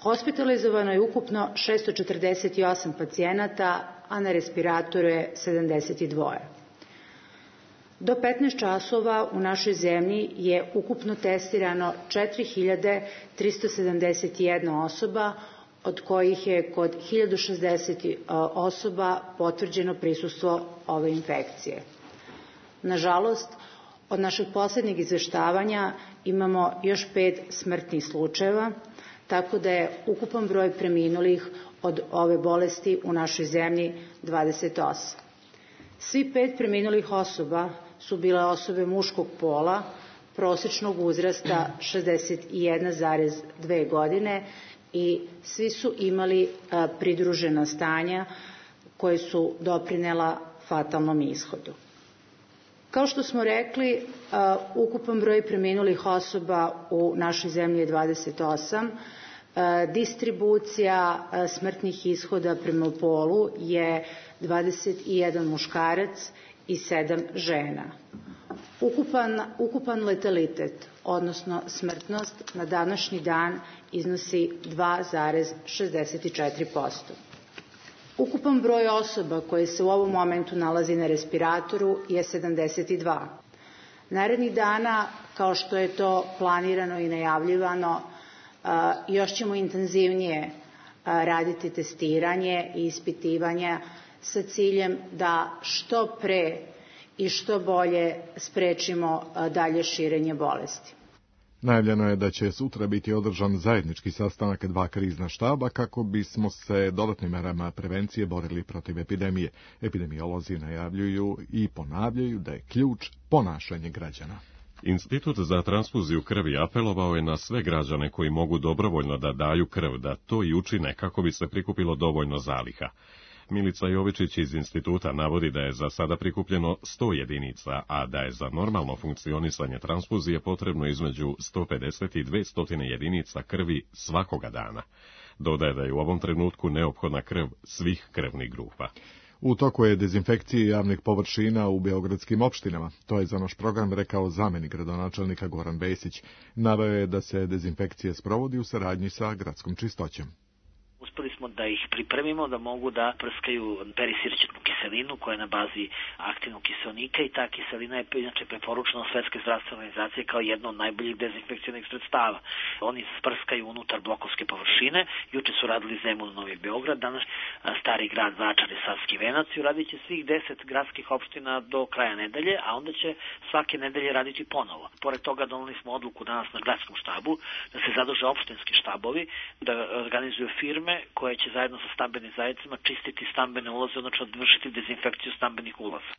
Hospitalizovano je ukupno 648 pacijenata, a na respiratoru je 72. Do 15 časova u našoj zemlji je ukupno testirano 4371 osoba, od kojih je kod 1060 osoba potvrđeno prisustvo ove infekcije. Nažalost, od našeg posljednjeg izveštavanja imamo još 5 smrtnih slučajeva, tako da je ukupan broj preminulih od ove bolesti u našoj zemlji 28. Svi 5 preminulih osoba su bile osobe muškog pola, prosječnog uzrasta 61,2 godine i svi su imali pridružena stanja koje su doprinela fatalnom ishodu. Kao što smo rekli, ukupan broj preminulih osoba u našoj zemlji je 28. Distribucija smrtnih ishoda prema polu je 21 muškarac i 7 žena. Ukupan letalitet, odnosno smrtnost, na današnji dan iznosi 2,64%. Ukupan broj osoba koje se u ovom momentu nalazi na respiratoru je 72. Narednih dana, kao što je to planirano i najavljivano, još ćemo intenzivnije raditi testiranje i ispitivanja sa ciljem da što pre i što bolje sprečimo dalje širenje bolesti. Najavljeno je da će sutra biti održan zajednički sastanak 2 krizna štaba kako bismo se dodatnim merama prevencije borili protiv epidemije. Epidemiolozi najavljuju i ponavljaju da je ključ ponašanje građana. Institut za transfuziju krvi apelovao je na sve građane koji mogu dobrovoljno da daju krv, da to i učine kako bi se prikupilo dovoljno zaliha. Milica Jovičić iz instituta navodi da je za sada prikupljeno 100 jedinica, a da je za normalno funkcionisanje transfuzije potrebno između 150 i 200 jedinica krvi svakoga dana. Dodaje da je u ovom trenutku neophodna krv svih krvnih grupa. U toku je dezinfekcije javnih površina u beogradskim opštinama. To je za naš program rekao zamenik gradonačelnika Goran Vesić. Naveo je da se dezinfekcija sprovodi u saradnji sa gradskom čistoćom. Uspeli smo da ih pripremimo da mogu da prskaju perisirćetnu kiselinu koja je na bazi aktivnog kiselnika i ta kiselina je inače preporučena od Svetske zdravstvene organizacije kao jedno od najboljih dezinfekcionih sredstava. Oni sprskaju unutar blokovske površine, juče su radili Zemun, Novi Beograd, danas Stari grad, Vračar i Savski Venac i uradit će svih 10 gradskih opština do kraja nedelje, a onda će svake nedelje raditi ponovo. Pored toga doneli smo odluku danas na gradskom štabu da se zaduže opštinski štabovi, da organizuju firme koje će zajedno sa stambenim zajednicama čistiti stambene ulaze, odnosno vršiti dezinfekciju stambenih ulaza.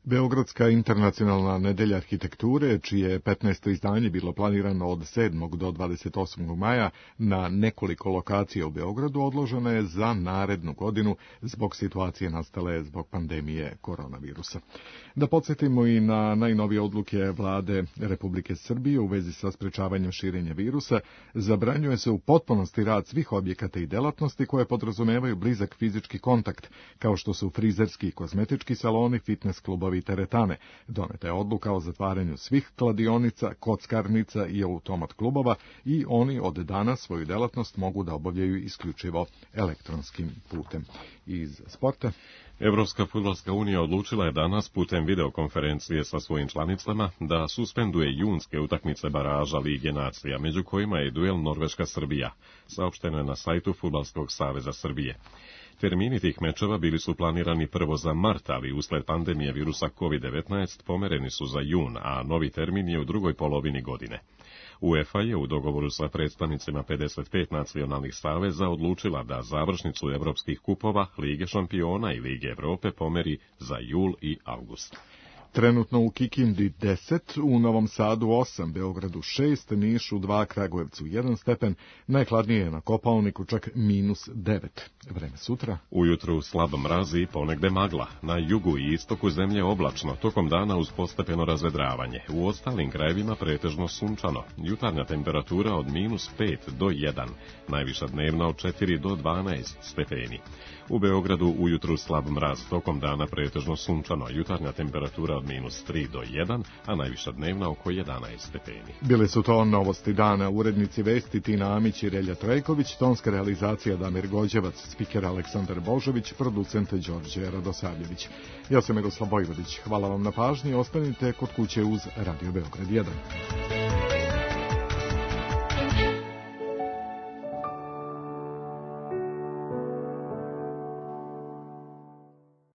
Beogradska internacionalna nedelja arhitekture, čije 15. izdanje bilo planirano od 7. do 28. maja na nekoliko lokacija u Beogradu, odložena je za narednu godinu zbog situacije nastale zbog pandemije koronavirusa. Da podsjetimo i na najnovije odluke vlade Republike Srbije u vezi sa sprečavanjem širenja virusa, zabranjuje se u potpunosti rad svih objekata i delatnosti koje podrazumevaju blizak fizički kontakt, kao što su frizerski i kozmetički saloni, fitness klubovi i teretane. Doneta je odluka o zatvaranju svih kladionica, kockarnica i automat klubova i oni od danas svoju delatnost mogu da obavljaju isključivo elektronskim putem. Iz sporta. Evropska fudbalska unija odlučila je danas putem videokonferencije sa svojim članicama da suspenduje junske utakmice baraža Lige nacija, među kojima je duel Norveška-Srbija, saopšteno je na sajtu Fudbalskog saveza Srbije. Termini tih mečeva bili su planirani prvo za mart, ali usled pandemije virusa COVID-19 pomereni su za jun, a novi termin je u drugoj polovini godine. UEFA je u dogovoru sa predstavnicima 55 nacionalnih saveza odlučila da završnicu evropskih kupova, Lige šampiona i Lige Evrope pomeri za jul i avgust. Trenutno u Kikindi 10, u Novom Sadu 8, Beogradu 6, Nišu 2, Kragujevcu 1 stepen, najhladnije je na Kopaoniku čak -9. Vreme sutra. Ujutru slab mraz i ponegde magla. Na jugu i istoku zemlje oblačno, tokom dana uz postepeno razvedravanje. U ostalim krajevima pretežno sunčano. Jutarnja temperatura od -5 do 1, najviša dnevna od 4 do 12 stepeni. U Beogradu ujutru slab mraz, tokom dana pretežno sunčano. Jutarnja temperatura od -3 do 1, a najviša dnevna oko 11 stepeni. Bile su to novosti dana, urednici vesti Tina Amić i Relja Trajković, tonska realizacija Damir Gođevac, spiker Aleksandar Božović, producent Đorđe Radosavljević. Ja sam Miroslav Vojvodić, hvala vam na pažnji, ostanite kod kuće uz Radio Beograd 1.